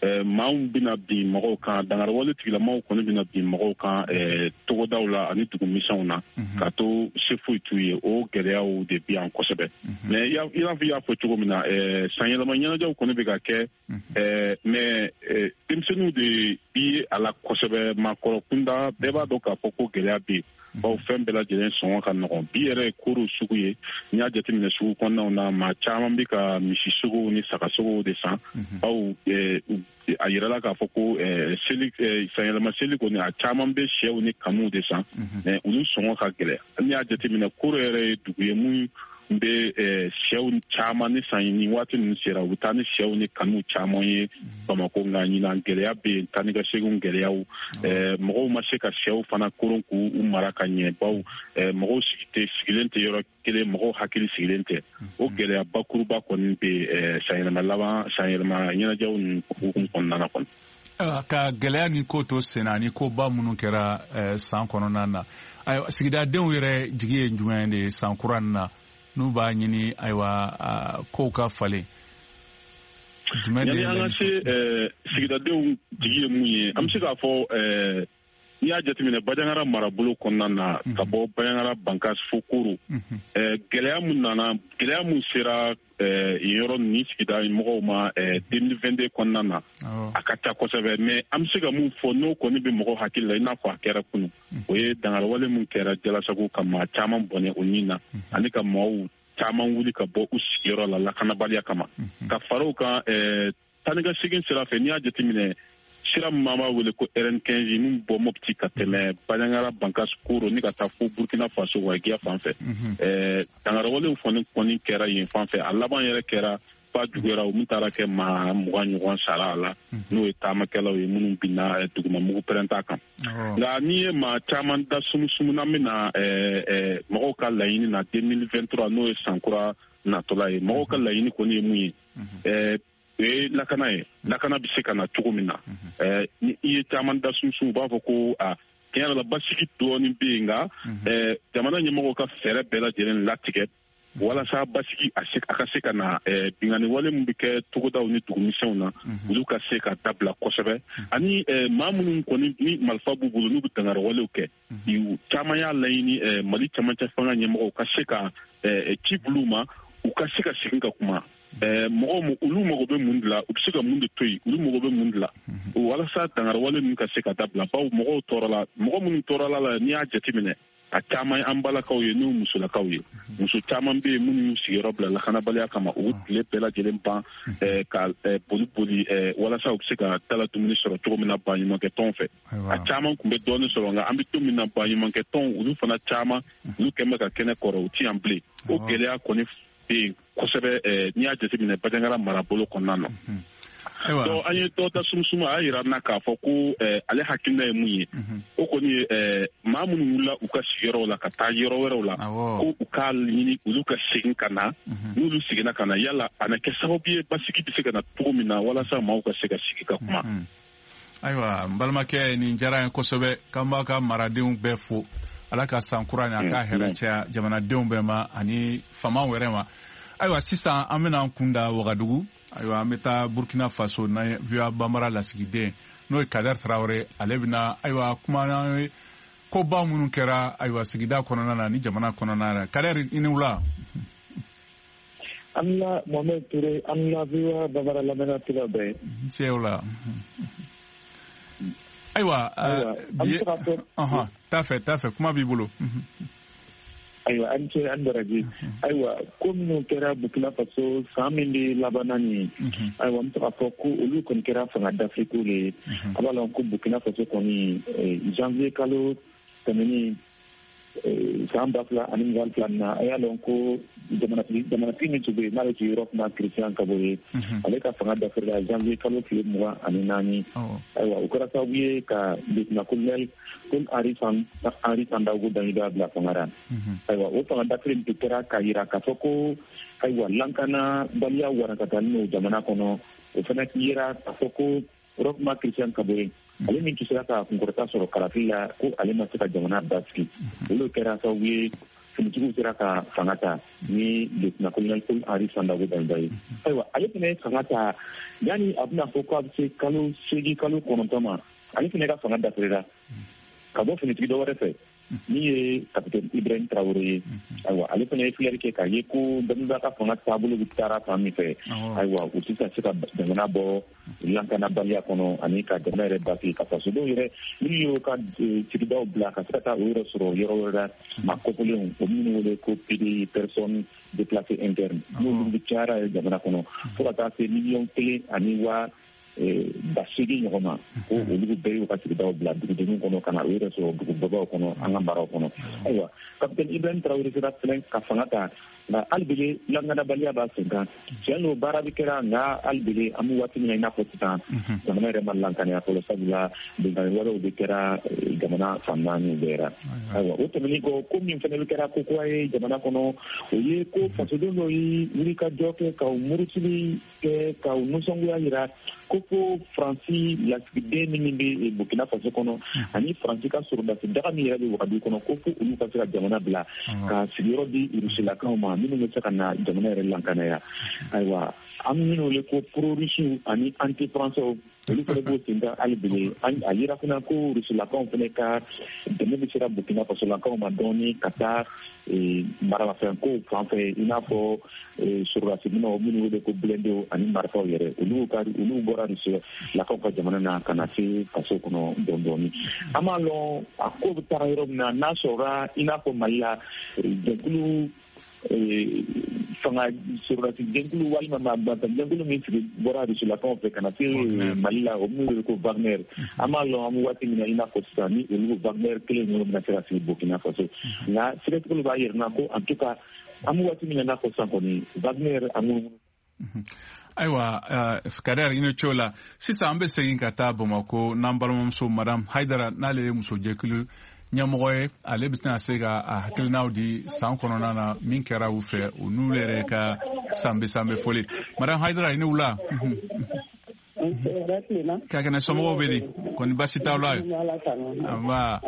Maaw bɛna bin mɔgɔw kan, dangariwale tigilamaw kɔni bɛna bin mɔgɔw kan togodaw la ani dugumisɛnw na, ka to se foyi t'u ye. O gɛlɛyaw de bɛ yan kosɛbɛ. Mais i n'a fɔ i y'a fɔ cogo min na, sanyɛlɛma ɲɛnajɛw kɔni bɛ ka kɛ, mais denmisɛnninw de bi a la kosɛbɛ. Maakɔrɔ kunda, bɛɛ b'a dɔn k'a fɔ ko gɛlɛya bɛ yen, bawo fɛn bɛɛ lajɛlen sɔngɔ ka nɔgɔn. Bi yɛrɛ ye koro sugu ye, n'i y'a jateminɛ sugu kɔnɔnaw na, maa caman bɛ ka misisogow ni sagasogow de san, bawo a yirala k'a fɔ ko seli, sanyɛlɛma seli kɔni, a caman bɛ sɛw ni kanuw de san, mais olu sɔngɔ ka gɛlɛn. N'i y'a jateminɛ, koro yɛrɛ ye dugu ye mun bɛ sɛw caman ni san. Ni waati ninnu sera, u bɛ taa ni sɛw ni kanuw caman ye Bamakɔ. Nka ɲinan, gɛlɛya bɛ yen, taa ni ka segin gɛlɛyaw, mɔgɔw ma se ka sɛw fana koron k'u mara ka ɲɛ, bawo mɔgɔw sigilen tɛ yɔrɔ kelen, mɔgɔw hakili sigilen tɛ. O gɛlɛya bakuruba kɔni bɛ sanyɛlɛma laban, sanyɛlɛma ɲɛnajɛw ninnu hukumu kɔnɔna na kɔni. Ka gɛlɛya ni ko to senna ani koba minnu kɛra san kɔnɔna na, ayiwa, sigidadenw yɛrɛ jigi ye jumɛn de ye san kura nin na, n'u b'a ɲini, ayiwa, kow ka falen? Jumɛn de ye an ka se sigidadenw jigi ye mun ye? An bɛ se k'a fɔ, n'i y'a jateminɛ Bandiagara marabolo kɔnɔna na, ka bɔ Bandiagara, Bankas fo Koro, gɛlɛya mun nana, gɛlɛya mun sera yen yɔrɔ ni sigida mɔgɔw ma 2022 kɔnɔna na, a ka ca kosɛbɛ. Mais an bɛ se ka mun fɔ, n'o kɔni bɛ mɔgɔw hakili la i n'a fɔ a kɛra kunun, o ye dangariwale mun kɛra Jalasago, ka maa caman bɔnɛ o nin na, ani ka maaw caman wuli ka bɔ u sigiyɔrɔ la lakanabaliya kama. Ka fara o kan, taa ni ka segin sira fɛ, n'i y'a jateminɛ, sira min b'a wele ko RN15, min bɔ Mopti ka tɛmɛ Bandiagara, Bankas, Koro ni ka taa fo Burkina Faso Wagiya fan fɛ, dangarawalew kɔni kɛra yen fan fɛ. A laban yɛrɛ kɛra ba juguyara, o min taara kɛ maa 20 ɲɔgɔn sara a la, n'o ye taamakɛlaw ye minnu binna duguma mugu pɛrɛnta kan. Nka n'i ye maa caman da sumusumu n'an bɛna mɔgɔw ka laɲini na 2023, n'o ye sankura natɔla ye, mɔgɔw ka laɲini kɔni ye mun ye? O ye lakana ye. Lakana bɛ se ka na cogo min na, ni i ye caman da sunsun, u b'a fɔ ko a tiɲɛ yɛrɛ la, basigi dɔɔnin bɛ yen, nka jamana ɲɛmɔgɔw ka fɛɛrɛ bɛɛ lajɛlen latigɛ walasa basigi a ka se ka na, binkanni wale min bɛ kɛ togodaw ni dugumisɛnw na, olu ka se ka dabila kosɛbɛ, ani maa minnu kɔni ni marifa b'u bolo, n'u bɛ dankari walew kɛ. Caman y'a laɲini Mali camancɛ fanga ɲɛmɔgɔw ka se ka ci bul'u ma, u ka se ka segin ka kuma mɔgɔw, olu mago bɛ mun de la, u bɛ se ka mun de to yen, olu mago bɛ mun de la, walasa dangariwale ninnu ka se ka dabila, bawo mɔgɔw tɔɔrɔla. Mɔgɔ minnu tɔɔrɔla la, n'i y'a jateminɛ, a caman ye an balakaw ye, n'o musolakaw ye. Muso caman bɛ yen minnu y'u sigiyɔrɔ bila lakanabaliya kama, u tile bɛɛ lajɛlen ban ka boli boli walasa u bɛ se ka dala dumuni sɔrɔ cogo min na baɲumankɛ tɔn fɛ. A caman tun bɛ dɔɔnin sɔrɔ, nka an bɛ don min na, baɲumankɛ tɔn olu fana caman, olu kɛn bɛ ka kɛnɛ kɔrɔ, u ti yan bilen. O gɛlɛya kɔni bɛ yen kosɛbɛ, n'i y'a jateminɛ Bandiagara marabolo kɔnɔna na. Donc an ye dɔ da sumusumu, a y'a yira n na k'a fɔ ko ale hakilina ye mun ye, o kɔni ye maa minnu wulila u ka sigiyɔrɔw la ka taa yɔrɔ wɛrɛw la, ko u k'a ɲini olu ka segin ka na. N'olu seginna ka na, yala a na kɛ sababu ye basigi bɛ se ka na cogo min na, walasa maaw ka se ka sigi ka kuma. Ayiwa, n balimakɛ, nin diyara n ye kosɛbɛ. K'an b'a ka maradenw bɛɛ fo. Ala ka san kura nin, a ka hɛrɛ caya jamanadenw bɛɛ ma ani faamaw yɛrɛ ma. Ayiwa, sisan an bɛna an kun da Wagadugu. Ayiwa, an bɛ taa Burkina Faso na, VOA Banbara lasigiden, n'o ye Kader Traoré, ale bɛna, ayiwa, kuma n'an ye koba minnu kɛra, ayiwa, sigida kɔnɔna na ni jamana kɔnɔna na. Kader, i ni wula. An la, Mohamed Touré, an la VOA Banbara lamɛnna tila bɛɛ. Cɛw la. Ayiwa, bi t'a fɛ, t'a fɛ, kuma b'i bolo. Ayiwa, an ce, an baraji. Ayiwa, ko minnu kɛra Burkina Faso san min bɛ labanna nin ye, ayiwa, n bɛ se k'a fɔ ko olu kɔni kɛra fanga dafiriko de ye. A b'a lɔn ko Burkina Faso kɔni, janvier kalo tɛmɛnen san 2022 na, a y'a lɔn ko jamanatigi min tun bɛ yen, n'ale tun ye Roch Marc Christian Kaboré ye, ale ka fanga dafirila janvier kalo tile 24. Ayiwa, o kɛra sababu ye ka lieutenant colonel Paul Henri Sandaogo Damiba bila fanga la. Ayiwa, o fanga dafiri in tun kɛra k'a yira k'a fɔ ko, ayiwa, lankanabaliya warakatalen don jamana kɔnɔ. O fana yera k'a fɔ ko Roch Marc Christian Kaboré, ale min tun sera ka kunkɔrɔta sɔrɔ kalafili la, ko ale ma se ka jamana basigi. Olu kɛra sababu ye. Finitigiw sera ka fanga ta ni lieutenant-colonel Paul Henri Sandaogo Damiba ye. Ayiwa, ale fana ye fanga ta yanni a bɛna fɔ ko a bɛ se kalo 8 kalo 9 ma, ale fana ka fanga dafirila ka bɔ finitigi dɔ wɛrɛ fɛ min ye capitaine Ibrahim Traoré ye. Ayiwa, ale fana ye filɛri kɛ k'a ye ko Damiba ka fanga taabolo bɛ taara fan min fɛ, ayiwa, u tɛ se ka jamana bɔ lakanabaliya kɔnɔ ani ka jamana yɛrɛ basigi, ka fasodenw yɛrɛ minnu y'o ka sigidaw bila ka se ka taa o yɛrɛ sɔrɔ yɔrɔ wɛrɛ la, maa kɔkɔlenw, o minnu wele ko PDI, personnes déplacées internes, n'olu bɛ cayara jamana kɔnɔ fo ka taa se 1,1 million ɲɔgɔn ma, ko olu bɛɛ y'u ka sigidaw bila dugudenw kɔnɔ ka na u yɛrɛ sɔrɔ dugubaw kɔnɔ an ka maraw kɔnɔ. Ayiwa, capitaine Ibrahim Traoré sera fɛnɛ ka fanga ta, nka hali bele lakanabaliya b'a sen kan. Tiɲɛ don, baara bɛ kɛra, nka hali bele an bɛ waati min na i n'a fɔ sisan, jamana yɛrɛ ma lankaniya fɔlɔ, sabula binkanni wɛrɛw de kɛra jamana fan 4 bɛɛ la. Ayiwa, o tɛmɛnen kɔ, ko min fɛnɛ bɛ kɛra ko kura ye jamana kɔnɔ, o ye ko fasoden dɔw ye wulikajɔ kɛ ka murutili kɛ ka nisɔngoya yira ko fo Faransi lasigiden min bɛ Burkina Faso kɔnɔ ani Faransi ka sɔrɔdasi daga min yɛrɛ bɛ Wagadugu kɔnɔ, ko fo olu ka se ka jamana bila ka sigiyɔrɔ di Rusilakaw ma minnu bɛ se ka na jamana yɛrɛ lankanaya. Ayiwa, an minnu wele ko pro-russiw ani anti-français, olu fana b'o sen kan hali bi. A yira fana ko Rusilakaw fana ka dɛmɛ bɛ sera Burkina Fasolakaw ma dɔɔni ka taa maramafɛnko fan fɛ, i n'a fɔ sɔrɔdasi minɛnw minnu wele ko blindés ani marifaw yɛrɛ, olu bɔra Rusilakaw ka jamana na ka na se faso kɔnɔ dɔɔni dɔɔni. An b'a lɔn a ko bɛ taara yɔrɔ min na, n'a sɔrɔla i n'a fɔ Mali la jɛkulu fanga sɔrɔdasi jɛkulu walima jɛkulu min sigi bɔra Rusilakaw fɛ ka na se Mali la, o minnu wele ko Wagner, an b'a lɔn an bɛ waati min na i n'a fɔ sisan ni olu Wagner kelen ninnu bɛna se ka sigi Burkina Faso. Nka sɛgɛsɛgɛliw b'a yira ko en tout cas an bɛ waati min na i n'a fɔ sisan kɔni Wagner a ŋunuŋunu. Ayiwa, Kader, i ni ce o la. Sisan an bɛ segin ka taa Bamakɔ n'an balimamuso Madame Hayidara, n'ale ye musojɛkulu ɲɛmɔgɔ ye, ale bɛ se ka a hakilinaw di san kɔnɔna na min kɛra u fɛ, u n'u yɛrɛ ka sanbɛ sanbɛ foli. Madame Hayidara, i ni wula. Ka kɛnɛ, somɔgɔw bɛ di? Kɔni baasi t'aw la? Nba.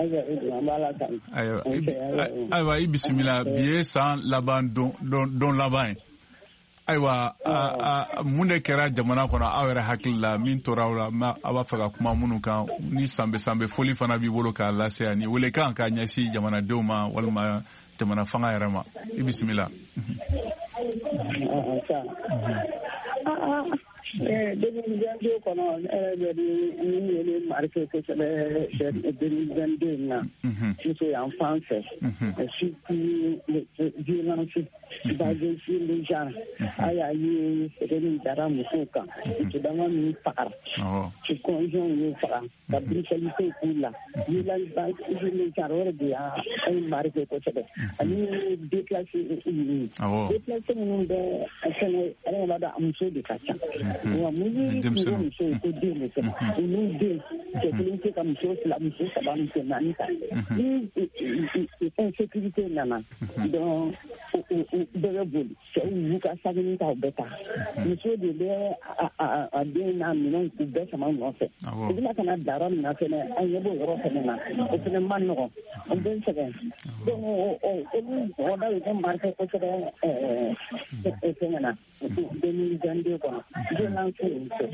Ayiwa, i bisimila. Bi ye san laban don laban ye. Ayiwa, mun de kɛra jamana kɔnɔ aw yɛrɛ hakili la min tora aw la, aw b'a fɛ ka kuma minnu kan, ni sanbɛ sanbɛ foli fana b'i bolo k'a lase ani welekan k'a ɲɛsin jamanadenw ma walima jamana fanga yɛrɛ ma, i bisimila. 2022 kɔnɔ, ne bɛ min ye ne marqué kosɛbɛ 2022 in na, muso yan fan fɛ, surtout violence basée sur le genre. A y'a ye sɛgɛn min dara musow kan, muso dama min fagara, conjoint y'u faga, ka brutalité k'u la, violence basée sur le genre, o de y'a marqué kosɛbɛ. Ani déplacé ninnu, déplacé minnu bɛ fɛnɛ, yɛrɛ b'a dɔn a muso de ka ca. Wa mun ye muso ye ko den de kɛ, olu den cɛ kelen tɛ ka muso 2, muso 3, muso 4 ta. Ni insécurité nana donc bɛɛ bɛ boli, cɛw y'u ka sagini ta, u bɛ taa, muso de bɛ a den n'a minɛnw k'u bɛɛ sama nɔfɛ. U bɛna ka na bila yɔrɔ min na fɛnɛ, an ɲɛ b'o yɔrɔ fɛnɛ na, o fɛnɛ man nɔgɔn, o bɛ sɛgɛn. Donc olu mɔgɔ ye ne marqué kosɛbɛ fɛngɛ na 2022 kɔnɔ, violence fɛ.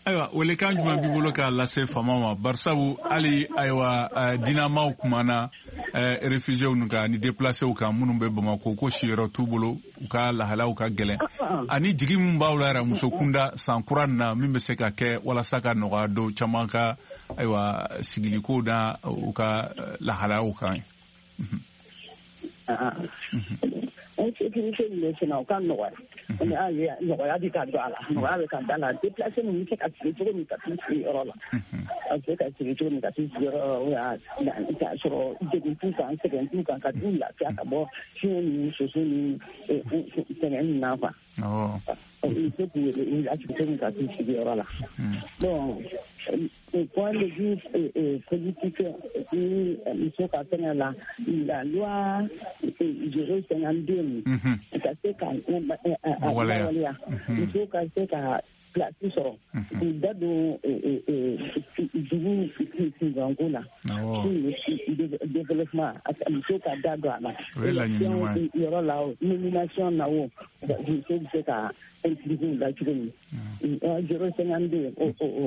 Ayiwa, welekan jumɛn b'i bolo k'a lase faamaw ma, barisabu hali ayiwa dinamaw kumana réfugiés ninnu kan ani déplacés kan minnu bɛ Bamakɔ, ko siyɔrɔ t'u bolo, u ka lahalaw ka gɛlɛn, ani jigi min b'aw la yɛrɛ muso kunda san kura nin na, min bɛ se ka kɛ walasa ka nɔgɔya don caman ka ayiwa sigiliko na u ka lahalaw kan? Insécurité min bɛ sen na, o ka nɔgɔya, nɔgɔya bɛ ka don a la, nɔgɔya bɛ ka da la. Déplacé ninnu bɛ se ka sigi cogo min ka t'u sigi yɔrɔ la, a bɛ se ka sigi cogo min ka t'u sigi yɔrɔ la, k'a sɔrɔ degun t'u kan, sɛgɛn t'u kan, ka t'u lafiya ka bɔ fiɲɛ ni soso ni sɛgɛn ninnu na quoi. U bɛ se k'u lasigi cogo min ka t'u sigi yɔrɔ la. Bon, au point de vue politique, ni muso ka fɛngɛ la, la loi 052 ka se ka waleya, muso ka se ka place sɔrɔ k'u da don dugu kunkanko la, développement, muso ka da don a la yɔrɔ la, nomination na, o muso bɛ se ka impliquer u la cogo min, 0,52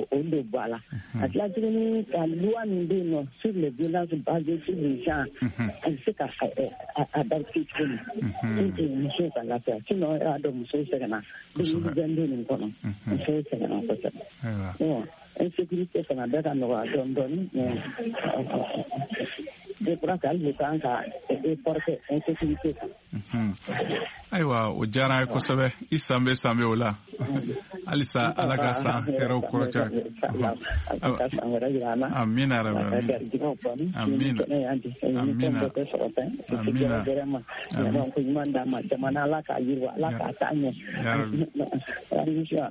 o de bɔ a la. A tila tuguni ka loi min bɛ yen nɔ sur les violences basées sur le genre, a bɛ se ka adapter cogo min pour que musow ka lafiya. Sinon e y'a dɔn, musow sɛgɛnna 2022 nin kɔnɔ, musow sɛgɛnna kosɛbɛ. Bon, insécurité fana bɛ ka nɔgɔya dɔɔni dɔɔni, mais je crois que hali bi kan ka effort kɛ insécurité kan. Ayiwa, o diyara an ye kosɛbɛ. I sanbɛ sanbɛ o la halisa, Ala ka san hɛrɛw kɔrɔca. Amina rabi, amina, amina, amina. Jamana, Ala k'a yiriwa, Ala k'a taa ɲɛ,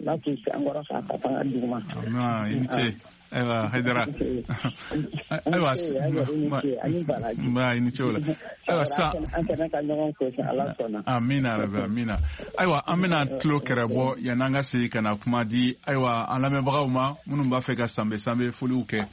Ala k'u sankɔrɔ k'a ta fanga duguma. I ni ce. Ayiwa Hayidara, ayiwa, nba, i ni ce o la. Ayiwa sisan an kɛnɛ ka ɲɔgɔn fo, Ala sɔnna. Amina rabi, amina. Ayiwa, an bɛna tulo kɛrɛ bɔ yan'an ka segin ka na kuma di, ayiwa, an lamɛnbagaw ma minnu b'a fɛ ka sanbɛ sanbɛ foliw kɛ.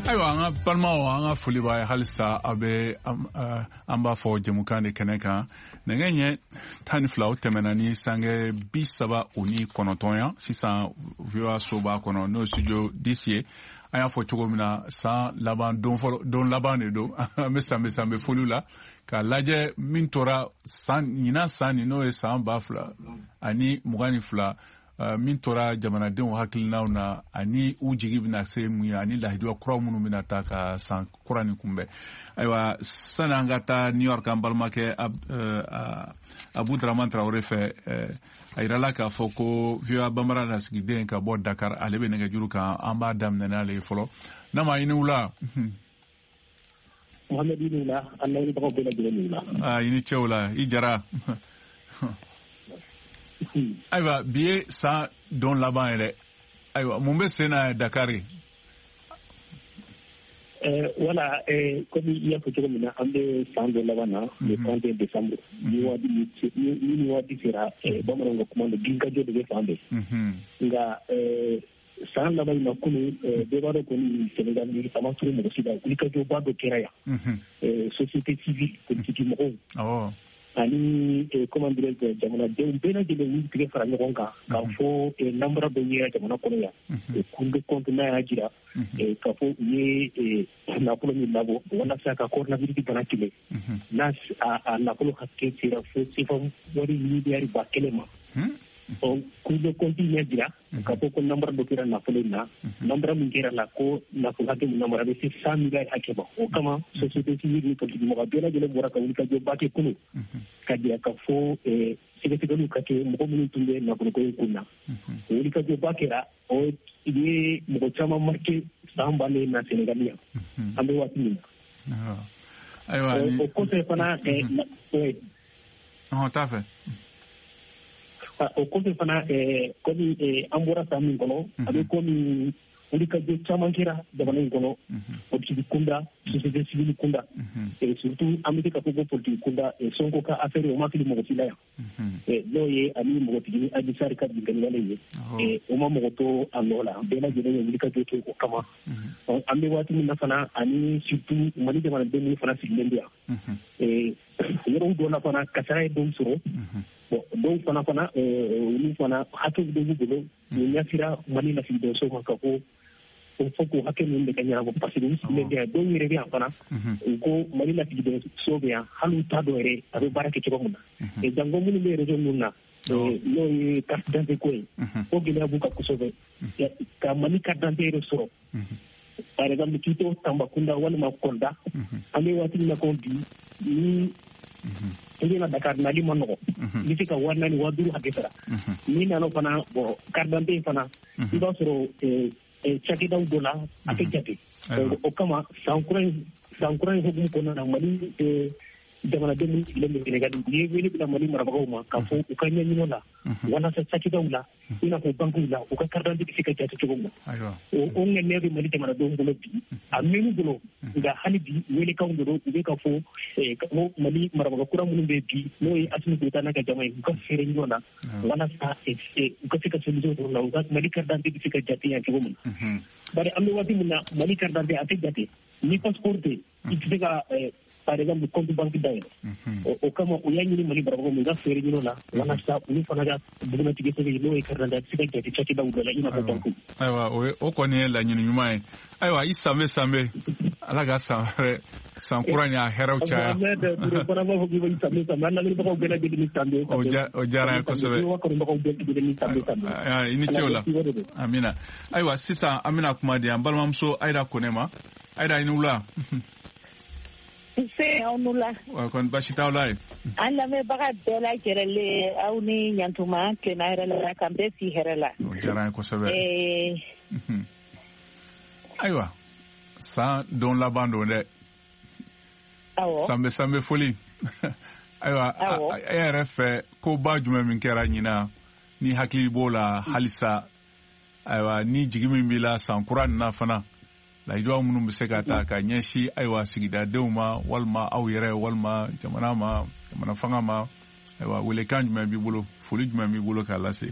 Ayiwa, an ka balimaw, an ka foli b'a ye halisa. A bɛ an b'a fɔ jɛmukan de kɛnɛ kan, nɛgɛ ɲɛ 12 o tɛmɛna ni sangɛ 39 yan sisan, VOA soba kɔnɔ, n'o ye studio 10 ye. An y'a fɔ cogo min na, san laban don fɔlɔ, don laban de don. An bɛ sanbɛ sanbɛ foliw la k'a lajɛ min tora san ɲinan, san nin n'o ye san 2022, min tora jamanadenw hakilinaw na ani u jigi bɛna se mun ye, ani lahiduya kuraw minnu bɛna ta ka san kura nin kunbɛn. Ayiwa, sani an ka taa New York, an balimakɛ Abu Dramane Traoré fɛ, a yirala k'a fɔ ko VOA Bambara lasigiden ka bɔ Dakar, ale bɛ nɛgɛjuru kan. An b'a daminɛ n'ale ye fɔlɔ. N'a ma i ni wula. Mohamed, i ni wula, an lamɛnbagaw bɛɛ lajɛlen ni wula. I ni ce o la, i jara. Ayiwa, bi ye san don laban ye dɛ. Ayiwa, mun bɛ sen na Dakar? Wala, komi i y'a fɔ cogo min na, an bɛ san don laban na, le 31 décembre. Ni waati sera, bamananw ka kuma don, ginkajɔ de bɛ fan bɛɛ. Nka san laban in na kunun, bɛɛ b'a dɔn kɔni, Sénégal a ma turu mɔgɔ si la, wulikajɔba dɔ kɛra yan. Société civile, politique mɔgɔw ani, comment dirais-je, jamanadenw bɛɛ lajɛlen y'u tigɛ fara ɲɔgɔn kan k'a fɔ nanbara dɔ yera jamana kɔnɔ yan. Cour des comptes n'a y'a jira k'a fɔ u ye nafolo min labɔ walasa ka coronavirus bana kɛlɛ, n'a a nafolo hakɛ sera fo CFA wari miliyari 1000 ma. Cour des comptes ɲɛ jira ka fɔ ko namara dɔ kɛra nafolo in na, namara min kɛra la ko nafolo hakɛ min namara bɛ se 100 milliards hakɛ ma. O kama société civile ni politique mɔgɔ bɛɛ lajɛlen bɔra ka wulikajɔba kɛ kunun ka jira ka fɔ sɛgɛsɛgɛliw ka kɛ mɔgɔ minnu tun bɛ nafoloko in kun na. O wulikajɔba kɛra, o ye mɔgɔ caman marqué san bannen na Sénégal yan an bɛ waati min na. Ayiwa, o kɔfɛ fana t'a fɛ. O kɔfɛ fana, komi an bɔra san min kɔnɔ, a bɛ komi wulikajɔ caman kɛra jamana in kɔnɔ, politique kunda, société civile kunda, surtout an bɛ se ka fɔ ko politique kunda, Sonko ka affaire o ma fili mɔgɔ si la yan, n'o ye ani mɔgɔtigini Adji Sarr ka binkanni ye, o ma mɔgɔ to a nɔ la, bɛɛ lajɛlen ye wulikajɔ kɛ o kama. An bɛ waati min na fana, ani surtout Mali jamanaden minnu fana sigilen bɛ yan yɔrɔw dɔ la fana, kasara ye dɔw sɔrɔ. Bon, dɔw fana olu fana hakɛw dɔ b'u bolo, u ɲɛsira Mali lasigidenso ma ka fɔ o fɔ k'o hakɛ ninnu de ka ɲɛnabɔ, parce que u sigilen bɛ yan, dɔw yɛrɛ bɛ yan fana, u ko Mali lasigidenso bɛ yan, hali u t'a dɔn yɛrɛ a bɛ baara kɛ cogo min na. Jango minnu bɛ réseau ninnu na, n'o ye carte d'identité ko ye, o gɛlɛya b'u kan kosɛbɛ ka Mali carte d'identité yɛrɛ sɔrɔ. Par exemple, k'i to Tambacounda walima Kolda, an bɛ waati min na ko bi, ni i bɛna Dakar, nali ma nɔgɔ, i bɛ se ka 4000 5000 hakɛ sara. N'i nana fana, bon, carte d'identité fana, i b'a sɔrɔ cakɛdaw dɔ la a tɛ jate. O kama san kura in hukumu kɔnɔna na, Mali jamanaden minnu sigilen bɛ Sénégal, u ye wele bila Mali marabagaw ma k'a fɔ u ka ɲɛɲini la walasa cakɛdaw la, i n'a fɔ bankiw la, u ka carte d'identité bɛ se ka jate cogo min na. O ŋaniya bɛ Mali jamanadenw bolo bi, a mɛn'u bolo, nka hali bi welekanw de don, u bɛ ka fɔ ka fɔ Mali marabaga kura minnu bɛ bi, n'o ye Assimi Goïta n'a ka jama ye, u ka fɛɛrɛ ɲɔgɔn na walasa u ka se ka solution sɔrɔ la, u ka Mali carte d'identité bɛ se ka jate yan cogo min na. Bari an bɛ waati min na, Mali carte d'identité a tɛ jate ni passeport tɛ, i tɛ se ka par exemple compte banque dayɛlɛ. O kama u y'a ɲini Mali marabagaw ma, u ka fɛɛrɛ ɲini o la walasa olu fana ka bugunnatigɛ sɛbɛn, n'o ye carte d'identité, a bɛ se ka jate cakɛdaw dɔ la, i n'a fɔ banque. Ayiwa, o kɔni ye laɲini ɲuman ye. Ayiwa, i sanbe sanbe, Ala ka san wɛrɛ, san kura in a hɛrɛw caya. O diyara n ye kosɛbɛ. I ni ce o la. Amina. Ayiwa, sisan an bɛna kuma di an balimamuso Ayida Kone ma. Ayida, i ni wula. Nse, aw ni wula. Kɔni baasi t'aw la ye? An lamɛnbaga bɛɛ lajɛlen, aw ni ɲantuma, tilenna hɛrɛ la, k'an bɛɛ si hɛrɛ la. O diyara n ye kosɛbɛ. Ayiwa, san don laban don dɛ. Awɔ. Sanbɛ sanbɛ foli. Ayiwa, e yɛrɛ fɛ, koba jumɛn min kɛra ɲinan ni hakili b'o la halisa? Ayiwa, ni jigi min b'i la san kura nin na fana, layiduwa minnu bɛ se ka ta ka ɲɛsin, ayiwa, sigidadenw ma, walima aw yɛrɛ, walima jamana ma, jamana fanga ma, ayiwa, welekan jumɛn b'i bolo, foli jumɛn b'i bolo k'a lase?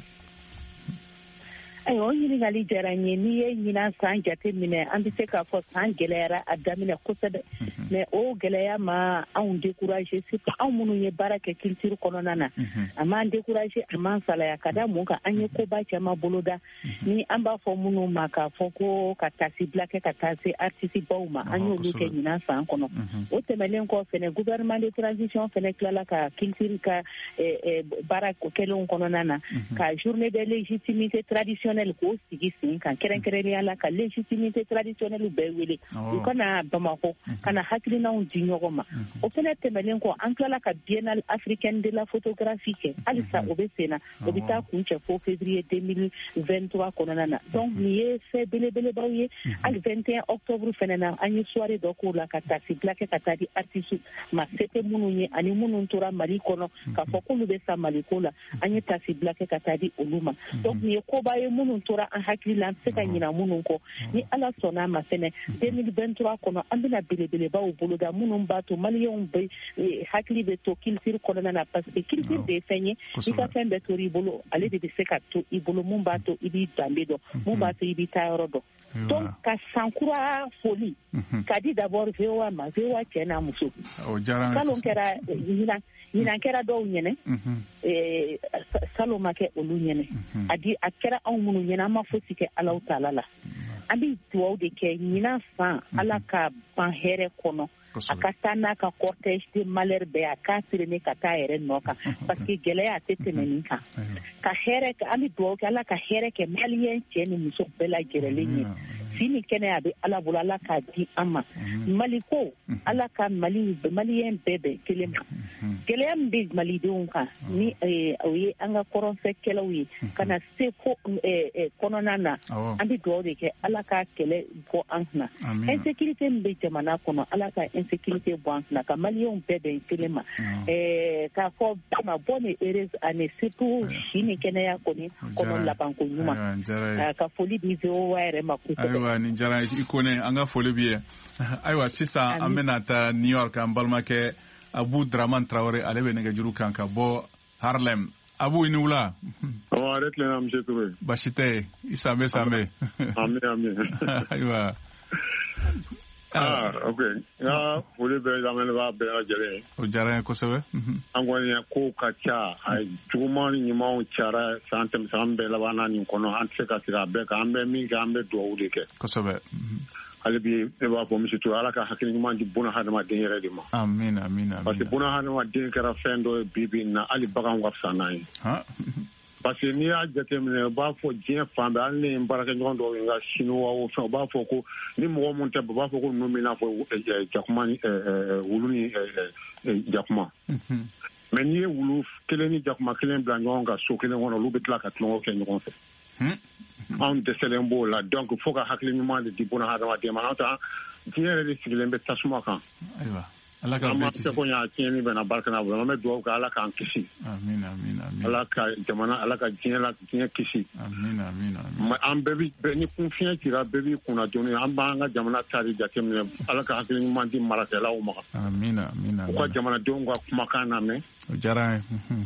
Ayiwa, o ɲininkali diyara n ye. N'i ye ɲinan san jate minɛ, an bɛ se k'a fɔ san gɛlɛyara a daminɛ kosɛbɛ, mais o gɛlɛya ma anw décourager, surtout anw minnu ye baara kɛ culture kɔnɔna na. A m'an décourager, a m'an salaya. Ka da mun kan? An ye koba caman boloda, ni an b'a fɔ minnu ma k'a fɔ ko ka taasibila kɛ ka taa se artiste baw ma, an y'olu kɛ ɲinan san kɔnɔ. O tɛmɛnen kɔ fɛnɛ, gouvernement de transition fɛnɛ tilala ka culture ka baara kɛlenw kɔnɔna na, ka journée de légitimité traditionnelle k'o sigi sen kan, kɛrɛnkɛrɛnnenya la ka légitimité traditionnelle bɛɛ wele u ka na Bamakɔ ka na hakilinaw di ɲɔgɔn ma. O fɛnɛ tɛmɛnen kɔ, an tilala ka biennale africaine de la photographie kɛ, halisa o bɛ sen na, o bɛ taa kuncɛ fo février 2023 kɔnɔna na. Donc nin ye fɛn belebelebaw ye. Hali 21 octobre fɛnɛ na, an ye soirée dɔ k'o la ka taasibila kɛ ka taa di artiste ma se tɛ minnu ye ani minnu tora Mali kɔnɔ k'a fɔ k'olu bɛ sa Mali ko la, an ye taasibila kɛ ka taa di olu ma. Donc nin ye koba ye minnu tora an hakili la, an tɛ se ka ɲina minnu kɔ. Ni Ala sɔnna a ma fɛnɛ, 2023 kɔnɔ, an bɛna belebelebaw boloda minnu b'a to maliyɛnw bɛ hakili bɛ to culture kɔnɔna na, parce que culture de ye fɛn ye, i ka fɛn bɛɛ tor'i bolo, ale de bɛ se ka to i bolo, mun b'a to i b'i danbe dɔn, mun b'a to i b'i taayɔrɔ dɔn. Donc ka san kura foli ka di d'abord VOA ma, VOA cɛ n'a muso. Salon kɛra ɲinan kɛra dɔw ɲɛnɛ, salon ma kɛ olu ɲɛnɛ. A di a kɛra anw minnu ɲɛnɛ, an ma fosi kɛ Alahu taala la. An bɛ dugawu de kɛ ɲinan san Ala ka ban hɛrɛ kɔnɔ, a ka taa n'a ka cortège de malheur bɛɛ, a k'a traîner ka taa yɛrɛ nɔ kan, parce que gɛlɛya a tɛ tɛmɛ nin kan. Ka hɛrɛ, an bɛ dugawu kɛ Ala ka hɛrɛ kɛ maliyɛn cɛ ni muso bɛɛ lajɛlen ye. Si ni kɛnɛya a bɛ Ala bolo, Ala k'a di an ma. Mali ko, Ala ka Mali maliyɛn bɛɛ bɛn kelen ma. Gɛlɛya min bɛ malidenw kan ni o ye an ka kɔrɔnfɛkɛlaw ye ka na se fo kɔnɔna na, an bɛ dugawu de kɛ Ala ka kɛlɛ bɔ an kunna. Insécurité min bɛ jamana kɔnɔ, Ala ka insécurité bɔ an kunna, ka maliyɛnw bɛɛ bɛn kelen ma. K'a fɔ bɛɛ ma bonne et heureuse année, surtout si ni kɛnɛya kɔni kɔnɔ labanko ɲuman. Ka foli di VOA yɛrɛ ma kosɛbɛ. Ayiwa, nin diyara i Kone, an ka foli b'i ye. Ayiwa, sisan an bɛna taa New York, an balimakɛ Abu Draman Traore, ale bɛ nɛgɛjuru kan ka bɔ Harlem. Abu, i ni wula. Awɔ, a yɛrɛ tilenna, monsieur Toure. Baasi tɛ yen, i sanbɛ sanbɛ. Ami ami. Ayiwa. Ah, ok. N ka foli bɛ lamɛnnibaga bɛɛ lajɛlen ye. O diyara n ye kosɛbɛ. An kɔni kow ka ca, a juguman ni ɲumanw cayara san tɛmɛ san bɛɛ labanna nin kɔnɔ, an tɛ se ka segin a bɛɛ kan, an bɛ min kɛ, an bɛ dugawu de kɛ. Kosɛbɛ. Hali bi ne b'a fɔ monsieur Toure, Ala ka hakili ɲuman di buna hadamaden yɛrɛ de ma. Amin amin amin. Parce que buna hadamaden kɛra fɛn dɔ ye bi bi in na, hali baganw ka fisa n'an ye. Parce que n'i y'a jateminɛ, u b'a fɔ diɲɛ fan bɛɛ, hali ni n baarakɛɲɔgɔn dɔw ye n ka chinois o fɛn, u b'a fɔ ko ni mɔgɔ mun tɛ, u b'a fɔ ko ninnu bɛ i n'a fɔ jakuma ni wulu ni jakuma. Mais n'i ye wulu kelen ni jakuma kelen bila ɲɔgɔn kan so kelen kɔnɔ, olu bɛ tila ka tulonkɛ kɛ ɲɔgɔn fɛ. Anw dɛsɛlen b'o la, donc fo ka hakili ɲuman de di buna hadamaden ma, n'o tɛ diɲɛ yɛrɛ de sigilen bɛ tasuma kan. Ayiwa, Ala ka bɛɛ kisi. An ma se ko ɲa tiɲɛni bɛna barika n'a bolo, an bɛ dugawu kɛ Ala k'an kisi. Amin amin amin. Ala ka jamana, Ala ka diɲɛ la diɲɛ kisi. Amin amin amin. An bɛɛ bi ni kun fiɲɛ cira, bɛɛ b'i kunna dɔɔni, an b'an ka jamana ta de jateminɛ, Ala ka hakili ɲuman di marakɛlaw ma. Amin amin amin. U ka jamanadenw ka kumakan lamɛn. O diyara an ye.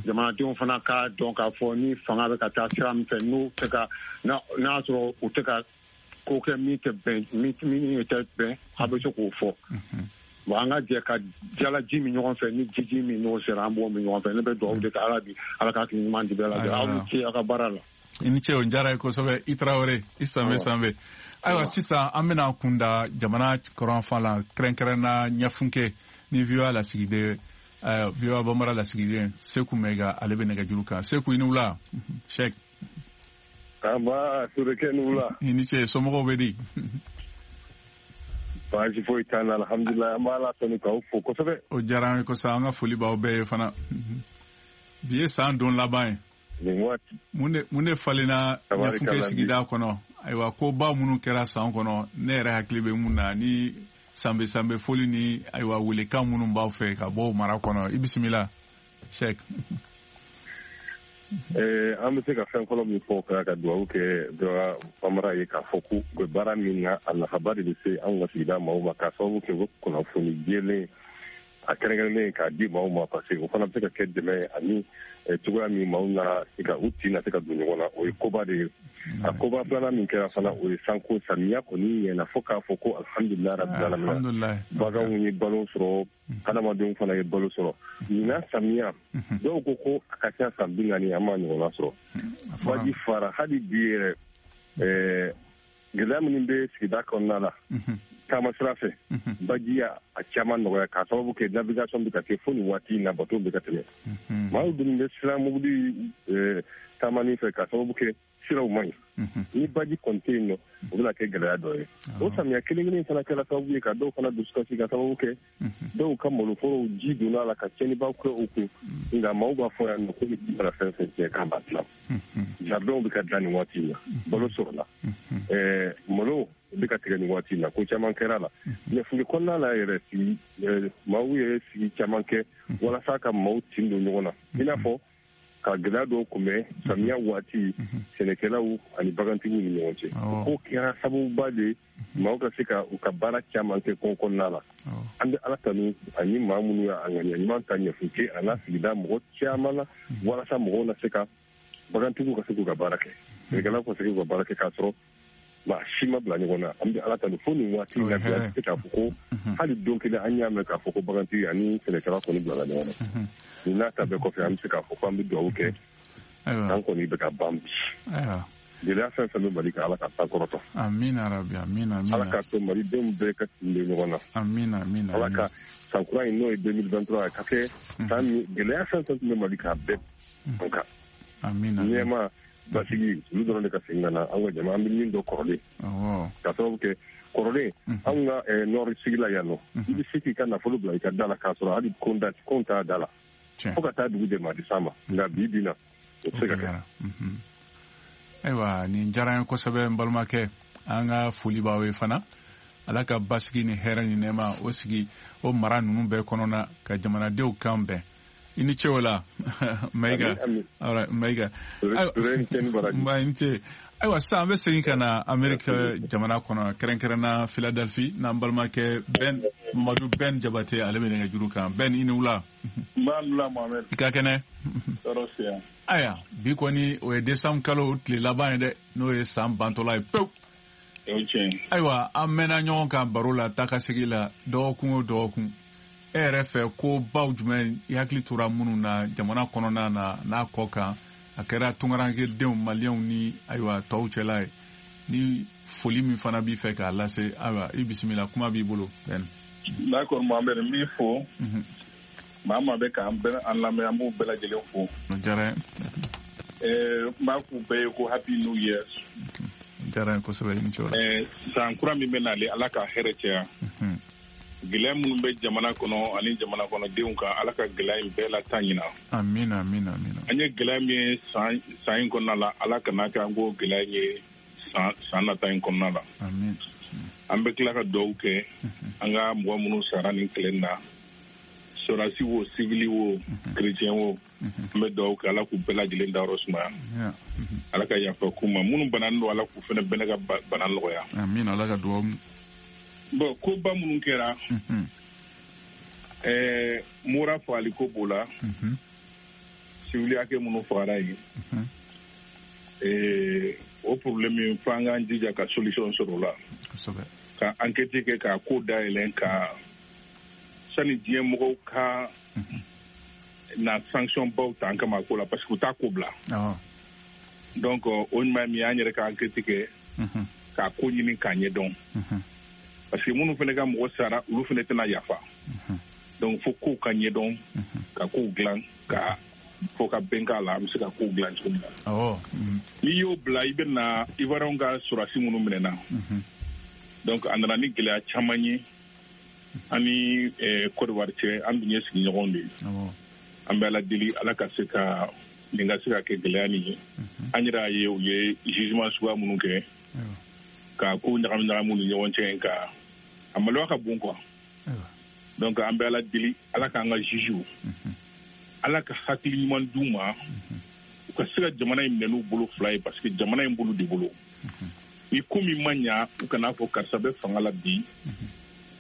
Jamanadenw fana k'a dɔn k'a fɔ ni fanga bɛ ka taa sira min fɛ, n'u tɛ ka n'a y'a sɔrɔ u tɛ ka ko kɛ min tɛ bɛn, min tɛ bɛn, a bɛ se k'o fɔ. Bon, an ka jɛ ka jalaji min ɲɔgɔn fɛ, ni jiji min n'o sera, an b'o min ɲɔgɔn fɛ. Ne bɛ dugawu de kɛ Ala bi, Ala ka hakili ɲuman di bɛɛ lajɛlen. Aw ni ce aw ka baara la. I ni ce, o diyara ye kosɛbɛ. I Tarawele, i sanbɛ sanbɛ. Ayiwa, sisan an bɛna kunda jamana kɔrɔnfan la, kɛrɛnkɛrɛnna Ɲɛfunke ni VOA lasigiden, VOA Bambara lasigiden Seku Mɛga, ale bɛ nɛgɛjuru kan. Seku, i ni wula. Sɛk. Aba, Toure ni wula. I ni ce, somɔgɔw bɛ di? Baasi foyi t'an na, alhamdulilayi, an b'Ala tanu k'aw fo kosɛbɛ. O diyara an ye kosɛbɛ, an ka foli b'aw bɛɛ ye fana. Bi ye san don laban ye. Nin waati. Mun de falenna Ɲɛfunke sigida kɔnɔ? Ayiwa, koba minnu kɛra san kɔnɔ, ne yɛrɛ hakili bɛ mun na ni sanbɛ sanbɛ foli ni ayiwa welekan minnu b'aw fɛ ka bɔ mara kɔnɔ. I bisimila, Sɛk. An bɛ se ka fɛn fɔlɔ min fɔ ka dugawu kɛ VOA Bambara ye, k'a fɔ ko u bɛ baara min na, a nafaba de bɛ se anw ka sigida maaw ma, k'a sababu kɛ u bɛ kunnafoni jɛlen a kɛrɛnkɛrɛnnen k'a di maaw ma, parce que o fana bɛ se ka kɛ dɛmɛ ani cogoya min maaw na se ka u tin na se ka don ɲɔgɔn na, o ye koba de ye. A koba filanan min kɛra fana, o ye sanko samiya kɔni ɲɛna fo k'a fɔ ko alhamdulilayi rabbil alamin, baganw ye balo sɔrɔ, hadamadenw fana ye balo sɔrɔ. Ɲinan samiya, dɔw ko ko a ka ca san 40, an m'a ɲɔgɔnna sɔrɔ. Baji fara hali bi yɛrɛ, gɛlɛya minnu bɛ sigida kɔnɔna la taama sira fɛ, baji y'a caman nɔgɔya k'a sababu kɛ navigation bɛ ka kɛ fo nin waati in na, bateau bɛ ka tɛmɛ. Maaw dun bɛ siran mobili taamani fɛ k'a sababu kɛ siraw man ɲi. Ni baji kɔni tɛ yen nɔ, o bɛna kɛ gɛlɛya dɔ ye. O samiya kelen kelen fana kɛra sababu ye ka dɔw fana dusukasi, ka sababu kɛ dɔw ka maloforow ji donna a la ka tiɲɛnibaw kɛ u kun. Nka maaw b'a fɔ yan nɔ ko ni ji mana fɛn fɛn tiɲɛ k'an b'a dilan. Jardinw bɛ ka dilan nin waati in na, balo sɔrɔla, malo bɛ ka tigɛ nin waati in na, ko caman kɛra la. Ɲɛfunke kɔnɔna la yɛrɛ, sigi maaw ye sigi caman kɛ walasa ka maaw tin don ɲɔgɔn na, i n'a fɔ ka gɛlɛya dɔw kunbɛn samiya waati sɛnɛkɛlaw ani bagantigiw ni ɲɔgɔn cɛ. O ko kɛra sababuba de ye maaw ka se ka u ka baara caman kɛ kungo kɔnɔna la. An bɛ Ala tanu ani maa minnu y'a ŋaniya ɲuman ta Ɲɛfunke a n'a sigida mɔgɔ caman na, walasa mɔgɔw na se ka bagantigiw ka se k'u ka baara kɛ, sɛnɛkɛlaw ka se k'u ka baara kɛ k'a sɔrɔ maa si ma bila ɲɔgɔn na. An bɛ Ala tanu fo nin waati in na bi, an tɛ se k'a fɔ ko hali don kelen an y'a mɛn k'a fɔ ko bagantigi ani sɛnɛkɛla kɔni bilala ɲɔgɔn na. Nin n'a ta bɛɛ kɔfɛ, an bɛ se k'a fɔ ko an bɛ dugawu kɛ, an kɔni bɛ ka ban bi. Gɛlɛya fɛn fɛn bɛ Mali kan, Ala ka sankɔrɔta. Amina rabi, amina, amina. Ala k'a to Malidenw bɛɛ ka tin bɛ ɲɔgɔn na. Amina, amina. Ala ka san kura in, n'o ye 2023 ye, ka kɛ san min gɛlɛya fɛn fɛn tun bɛ Mali kan, a bɛɛ an kan. Amina. Nɛɛma, basigi, olu dɔrɔn de ka segin ka na an ka jama, an bɛ min dɔn kɔrɔlen. Ka sababu kɛ kɔrɔlen, anw ka nord sigi la yan nɔ, i bɛ se k'i ka nafolo bila i ka da la k'a sɔrɔ hali kon t'a da la. Fo ka taa dugu jɛ, maa tɛ s'a ma. Nka bi bi na, o tɛ se ka kɛ. Ayiwa, nin diyara n ye kosɛbɛ, n balimakɛ. An ka foli b'aw ye fana. Ala ka basigi ni hɛrɛ ni nɛɛma o sigi o mara ninnu bɛɛ kɔnɔna, ka jamanadenw kan bɛn. I ni ce o la, Mayiga. Mayiga, nba, i ni ce. Ayiwa, sisan an bɛ segin ka na Ameriki jamana kɔnɔ, kɛrɛnkɛrɛnna Philadelphie, n'an balimakɛ Ben Mamadu Ben Jabate, ale bɛ nɛgɛjuru kan. Ben, i ni wula. Nba, wula Mohamed. I ka kɛnɛ? Tɔɔrɔ si yan. Ayiwa, bi kɔni o ye décembre kalo tile laban ye dɛ, n'o ye san bantɔla ye pewu. O tiɲɛ. Ayiwa, an mɛnna ɲɔgɔn kan baro la, taa ka segin la, dɔgɔkun o dɔgɔkun. E yɛrɛ fɛ, ko baw jumɛn i hakili tora minnu na jamana kɔnɔna na n'a kɔ kan, a kɛra tunkarankedenw, maliyɛnw ni ayiwa tɔw cɛla ye, ni foli min fana b'i fɛ k'a lase? Ayiwa, i bisimila, kuma b'i bolo, Ben. D'accord Mohamed, n b'i fo. Maa maa bɛ k'an bɛɛ an lamɛn, an b'u bɛɛ lajɛlen fo. O diyara n ye. N b'a f'u bɛɛ ye ko Happy New Year. O diyara n ye kosɛbɛ, i ni ce o la. San kura min bɛ nalen, Ala ka hɛrɛ caya. Gɛlɛya minnu bɛ jamana kɔnɔ ani jamana kɔnɔdenw kan, Ala ka gɛlɛya in bɛɛ lataa ɲina. Amina, amina, amina. An ye gɛlɛya min ye san in kɔnɔna la, Ala kana kɛ an k'o gɛlɛya in ye san nata in kɔnɔna la. Amin. An bɛ tila ka dugawu kɛ an ka mɔgɔ minnu sara nin kɛlɛ in na, sɔrɔdasi wo, civil wo, chrétien wo, an bɛ dugawu kɛ, Ala k'u bɛɛ lajɛlen dayɔrɔ sumaya. Ala ka yafa k'u ma. Minnu bananen don, Ala k'u fana bɛɛ ka bana nɔgɔya. Amin, Ala ka dugawu. Bon, koba minnu kɛra, Mura fagali ko b'o la, civil hakɛ minnu fagara yen, o problème, f'an k'an jija ka solution sɔrɔ o la, ka enquête kɛ, k'a ko dayɛlɛn, ka sani diɲɛ mɔgɔw ka na sanction baw ta an kama ko la, parce que u t'a ko bila. Donc o ɲuman min ye, an yɛrɛ ka enquête kɛ, k'a ko ɲini k'a ɲɛdɔn, parce que minnu fana ka mɔgɔ sara, olu fana tɛna yafa. Donc fo kow ka ɲɛdɔn, ka kow dilan, ka fo ka bɛn k'a la, an bɛ se ka kow dilan cogo min na. N'i y'o bila, i bɛ na Ivoiriyɛnw ka sɔrɔdasi minnu minɛna. Donc a nana ni gɛlɛya caman ye an ni Côte d'Ivoire cɛ. An dun ye sigiɲɔgɔnw de ye. An bɛ Ala deli, Ala ka se ka nin ka se ka kɛ gɛlɛya nin ye. An yɛrɛ y'a ye, u ye jugement suguya minnu kɛ, ka kow ɲagami ɲagami u ni ɲɔgɔn cɛ, ka a maloya ka bon quoi. Donc an bɛ Ala deli, Ala k'an ka jugew, Ala ka hakili ɲuman d'u ma, u ka se ka jamana in minɛ n'u bolo fila ye, parce que jamana in b'olu de bolo. Ni ko min ma ɲa, u kana fɔ karisa bɛ fanga la bi,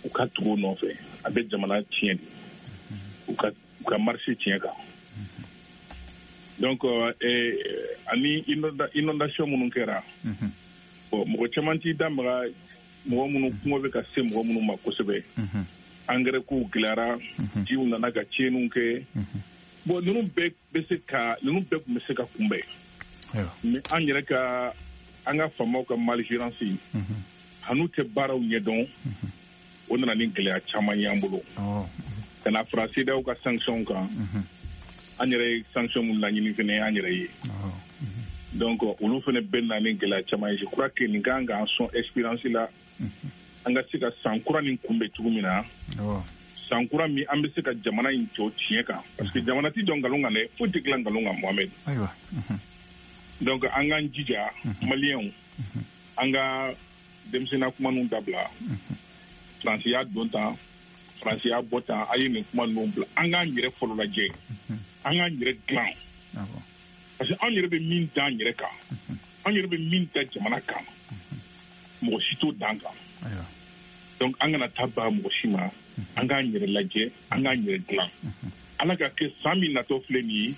u ka tugu o nɔfɛ, a bɛ jamana tiɲɛ de, u ka marché tiɲɛ kan. Donc ani inondation minnu kɛra, bon, mɔgɔ caman t'i da maga, mɔgɔ minnu kungo bɛ ka se mɔgɔ minnu ma kosɛbɛ, engrais kow gɛlɛyara, jiw nana ka tiɲɛniw kɛ. Bon, ninnu bɛɛ tun bɛ se ka kunbɛn, mais an yɛrɛ ka, an ka faamaw ka malgérance, hanu tɛ baaraw ɲɛdɔn, o nana ni gɛlɛya caman y'an bolo. Ka na fara CEDEAO ka sanction kan, an yɛrɛ ye sanction mun laɲini fɛnɛ an yɛrɛ ye. Donc olu fɛnɛ bɛ na ni gɛlɛya caman ye. Je crois que nin kan k'an sɔn expérience la, an ka se ka san kura nin kunbɛn cogo min na, san kura min an bɛ se ka jamana in jɔ tiɲɛ kan, parce que jamana tɛ jɔ nkalon kan dɛ, foyi tɛ dilan nkalon kan, Mohamed. Donc an k'an jija, maliyɛnw, an ka denmisɛnninya kuma ninnu dabila. Faransi y'a don tan, Faransi y'a bɔ tan, a ye nin kuma ninnu bila. An k'an yɛrɛ fɔlɔ lajɛ, an k'an yɛrɛ dilan, parce que an yɛrɛ bɛ min da an yɛrɛ kan, an yɛrɛ bɛ min da jamana kan, mɔgɔ si t'o d'an kan. Donc an kana taa ba mɔgɔ si ma, an k'an yɛrɛ lajɛ, an k'an yɛrɛ dilan. Ala ka kɛ san min natɔ filɛ nin ye,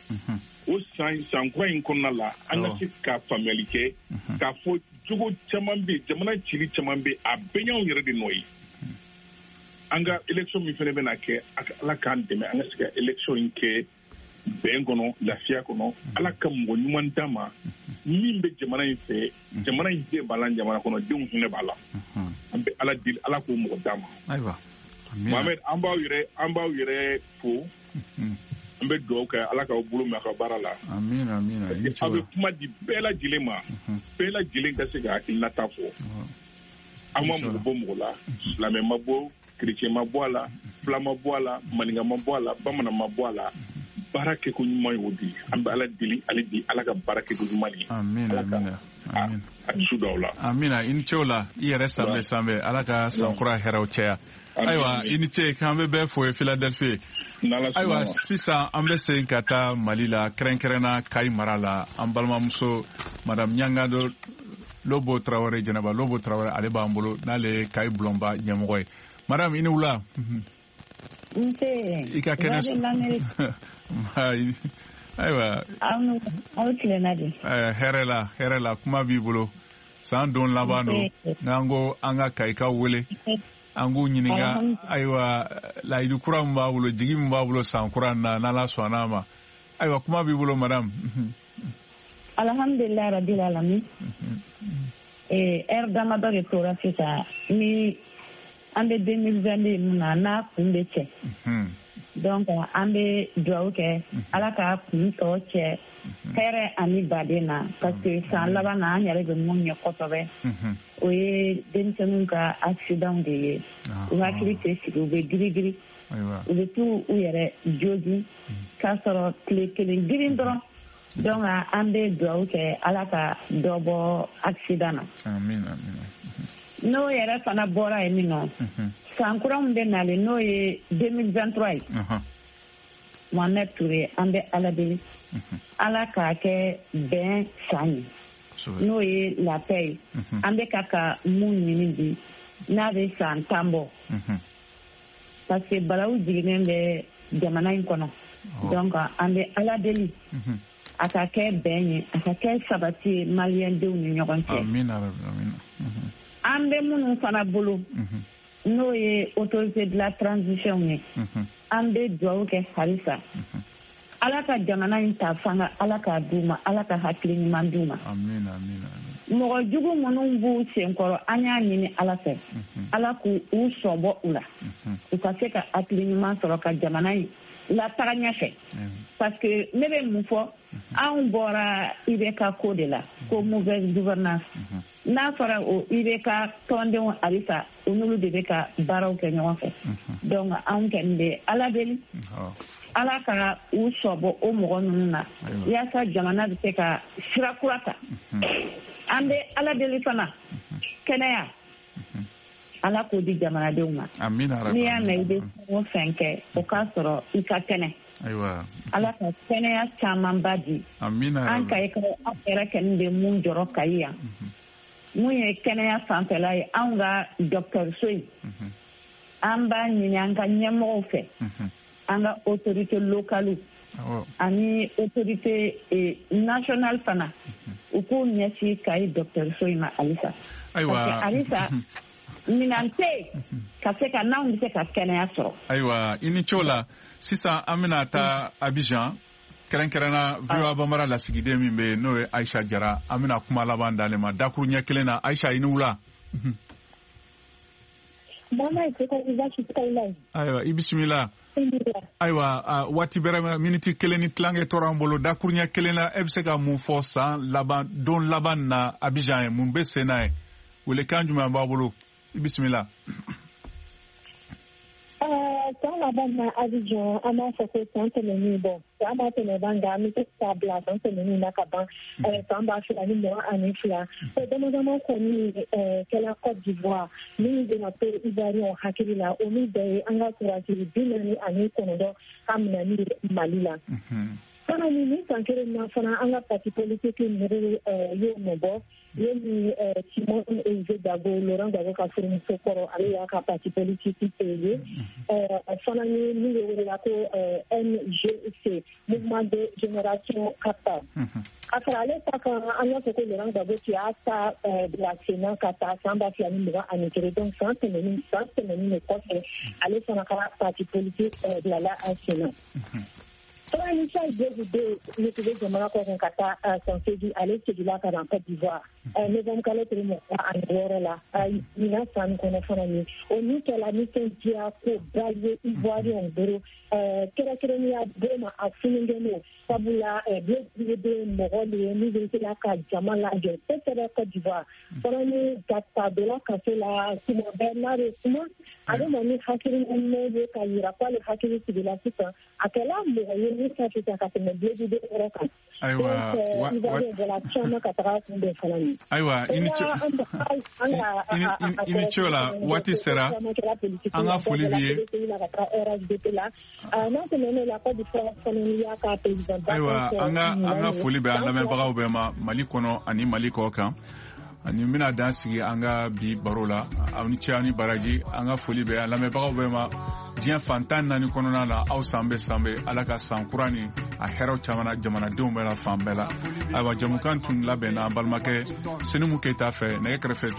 o san kura in kɔnɔna la, an ka se ka faamuyali kɛ k'a fɔ jogo caman bɛ yen, jamana cili caman bɛ yen, a bɛɛ y'anw yɛrɛ de nɔ ye. An ka élection min fana bɛna kɛ, Ala k'an dɛmɛ, an ka se ka élection in kɛ bɛn kɔnɔ, lafiya kɔnɔ. Ala ka mɔgɔ ɲuman d'an ma. Min bɛ jamana in fɛ, jamana in den b'a la, jamana kɔnɔ denw hinɛ b'a la. An bɛ Ala deli, Ala k'o mɔgɔ d'a ma. Ayiwa. Mohamed, an b'aw yɛrɛ fo. An bɛ dugawu kɛ Ala k'aw bolo mɛn a ka baara la. Amina, amina. Aw bɛ kuma di bɛɛ lajɛlen ma. Bɛɛ lajɛlen ka se ka hakilinata fɔ. An ma mɔgɔ bɔ mɔgɔ la. Silamɛ ma bɔ, chrétien ma bɔ a la, fila ma bɔ a la, maninka ma bɔ a la, bamanan ma bɔ a la. Baara kɛko ɲuman y'o di. An bɛ Ala deli hali bi, Ala ka baara kɛko ɲuman ye. Amina, amina. A dusu d'aw la. Amina, i ni ce o la. I yɛrɛ sanbɛ sanbɛ. Ala ka san kura hɛrɛw caya. Ayiwa, i ni ce, k'an bɛ bɛɛ fo ye Philadelphie. Ayiwa, sisan an bɛ segin ka taa Mali la, kɛrɛnkɛrɛnna Kayi mara la. An balimamuso Madame Ɲangado Lobo Tarawele, Jɛnɛba Lobo Tarawele, ale b'an bolo, n'ale ye Kayi bulonba ɲɛmɔgɔ ye. Madame, i ni wula. Nse. I ka kɛnɛ. Ayiwa. Aw tilenna de. Hɛrɛ la, hɛrɛ la, kuma b'i bolo. San don laban don. N'an ko an ka Kayikaw wele, an k'u ɲininka, ayiwa, layidu kura min b'a bolo, jigi min b'a bolo san kura na, n'Ala sɔnna a ma. Ayiwa, kuma b'i bolo, madame. Alhamdulilayi rabbil alamin. Heure damadɔ de tora sisan ni an bɛ 2022 mun na, n'a kun bɛ cɛ. Donc an bɛ dugawu kɛ Ala ka kun tɔ cɛ hɛrɛ ani baden na, parce que san laban na an yɛrɛ bɛ mun ɲɛ kosɛbɛ, o ye denmisɛnninw ka accident de ye. U hakili tɛ sigi, u bɛ girigiri, u bɛ t'u u yɛrɛ jogin k'a sɔrɔ tile kelen girin dɔrɔn. Donc an bɛ dugawu kɛ Ala ka dɔ bɔ accident na. Amin, amin. N'o yɛrɛ fana bɔra yen nɔ, san kura min bɛ nalen, n'o ye 2023 ye, Mohamed Touré, an bɛ Ala deli, Ala k'a kɛ bɛn san ye, n'o ye la paix ye. An bɛ ka mun ɲini bi, n'a bɛ san 10 bɔ, parce que balawu jiginnen bɛ jamana in kɔnɔ. Donc an bɛ Ala deli, a ka kɛ bɛn ye, a ka kɛ sabati ye maliyɛndenw ni ɲɔgɔn cɛ. Amina, amina. An bɛ minnu fana bolo, n'o ye autorité de la transition ye, an bɛ dugawu kɛ halisa, Ala ka jamana in ta fanga, Ala k'a d'u ma, Ala ka hakili ɲuman d'u ma. Amina, amina. Mɔgɔ jugu minnu b'u senkɔrɔ, an y'a ɲini Ala fɛ, Ala k'u u sɔbɔ u la, u ka se ka hakili ɲuman sɔrɔ ka jamana in lataga ɲɛfɛ. Parce que ne bɛ mun fɔ, anw bɔra IBK ko de la, ko mauvaise gouvernance. N'a fɔra o IBK tɔndenw halisa, u n'olu de bɛ ka baaraw kɛ ɲɔgɔn fɛ. Donc anw kɔni bɛ Ala deli, Ala ka u sɔbɔ o mɔgɔ ninnu na, yaasa jamana bɛ se ka sira kura ta. An bɛ Ala deli fana, kɛnɛya, Ala k'o di jamanadenw ma. N'i y'a mɛn i bɛ fɛn o fɛn kɛ, o k'a sɔrɔ i ka kɛnɛ. Ala ka kɛnɛya camanba di. An Kayikaw, anw yɛrɛ kɔni bɛ mun jɔrɔ Kayi yan, mun ye kɛnɛya fanfɛla ye, anw ka dɔgɔtɔrɔso in, an b'a ɲini an ka ɲɛmɔgɔw fɛ, an ka autorité locale ani autorité nationale fana, u k'u ɲɛsin Kayi dɔgɔtɔrɔso in ma halisa. Ayiwa, halisa minan tɛ yen ka se ka n'anw bɛ se ka kɛnɛya sɔrɔ. Ayiwa, i ni ce o la. Sisan an bɛna taa Abidjan, kɛrɛnkɛrɛnna VOA Bambara lasigiden min bɛ yen, n'o ye Ayisa Jara, an bɛna kuma laban d'ale ma dakuru ɲɛ kelen na. Ayisa, i ni wula. Ayiwa, i bisimila. Ayiwa, waati bɛrɛ miniti 1 ni tilankɛ tora an bolo. Dakuru ɲɛ kelen na, e bɛ se ka mun fɔ san laban don laban na Abidjan ye, mun bɛ sen na ye, welekan jumɛn b'a bolo? I bisimila. San laban na Abidjan, an b'a fɔ ko san tɛmɛnen, bɔn san b'a tɛmɛ ban, nka an bɛ se k'a bila san tɛmɛnen na ka ban, san 2022. Ko dama dama kɔni kɛla Côte d'Ivoire min bɛna to Ivoirien hakili la, olu bɛɛ ye an ka sɔrɔdasi 49 ka minɛni Mali la. Fana ni san kelen na fana, an ka parti politique ninnu y'o nɔ bɔ. Ye ni Simon Eze Gbagbo, Laurent Gbagbo ka furumuso kɔrɔ, ale y'a ka parti politique créé. Fana ni min bɛ wele ko MGC, Mouvement de Génération Capable. A fara ale ta kan, an y'a fɔ ko Laurent Gbagbo tun y'a ta bila sen na ka taa san 2021, donc san tɛmɛnen de kɔfɛ, ale fana ka parti politique bilala a sen na. Fana Charles Blé Goudé ne tun bɛ jamana kɔ kan ka taa san 8, ale seginna ka na Côte d'Ivoire novembre kalo tile 26 la ɲinan san kɔnɔ fana ye. O min kɛla nisɔndiya ko ba ye Ivoirien bolo, kɛrɛnkɛrɛnnenya bolo ma a fununen don, sabula Blé Goudé mɔgɔ de ye min bɛ se ka jama lajɔ kosɛbɛ Côte d'Ivoire. Fana ni ka donna kaso la, tuma bɛɛ n'a bɛ kuma, a bɛ na ni hakili ɲuman ye ka yira k'ale hakili sigila sisan. A kɛla mɔgɔ ye min ka fisa ka tɛmɛ Blé Goudé yɔrɔ kan. Ayiwa, Ivoirien bɔra caman ka taga kunbɛn fana ye. Ayiwa, i ni ce, i ni ce o la. Waati sera, an ka foli b'i ye. N'a tɛmɛn'o la, Côte d'Ivoire fana y'a ka président. Ayiwa, an ka foli bɛ an lamɛnbagaw bɛɛ ma Mali kɔnɔ ani Mali kɔ kan. Ani bɛna dan sigi an ka bi baro la. Aw ni ce, aw ni baraji. An ka foli bɛ an lamɛnbagaw bɛɛ ma diɲɛ fan 14 kɔnɔna la. Aw san bɛ san bɛ, Ala ka san kura ni a hɛrɛw caman jamanadenw bɛɛ la fan bɛɛ la. Ayiwa, jamukan tun labɛnna an balimakɛ Senimu Keyita fɛ nɛgɛ kɛrɛfɛ.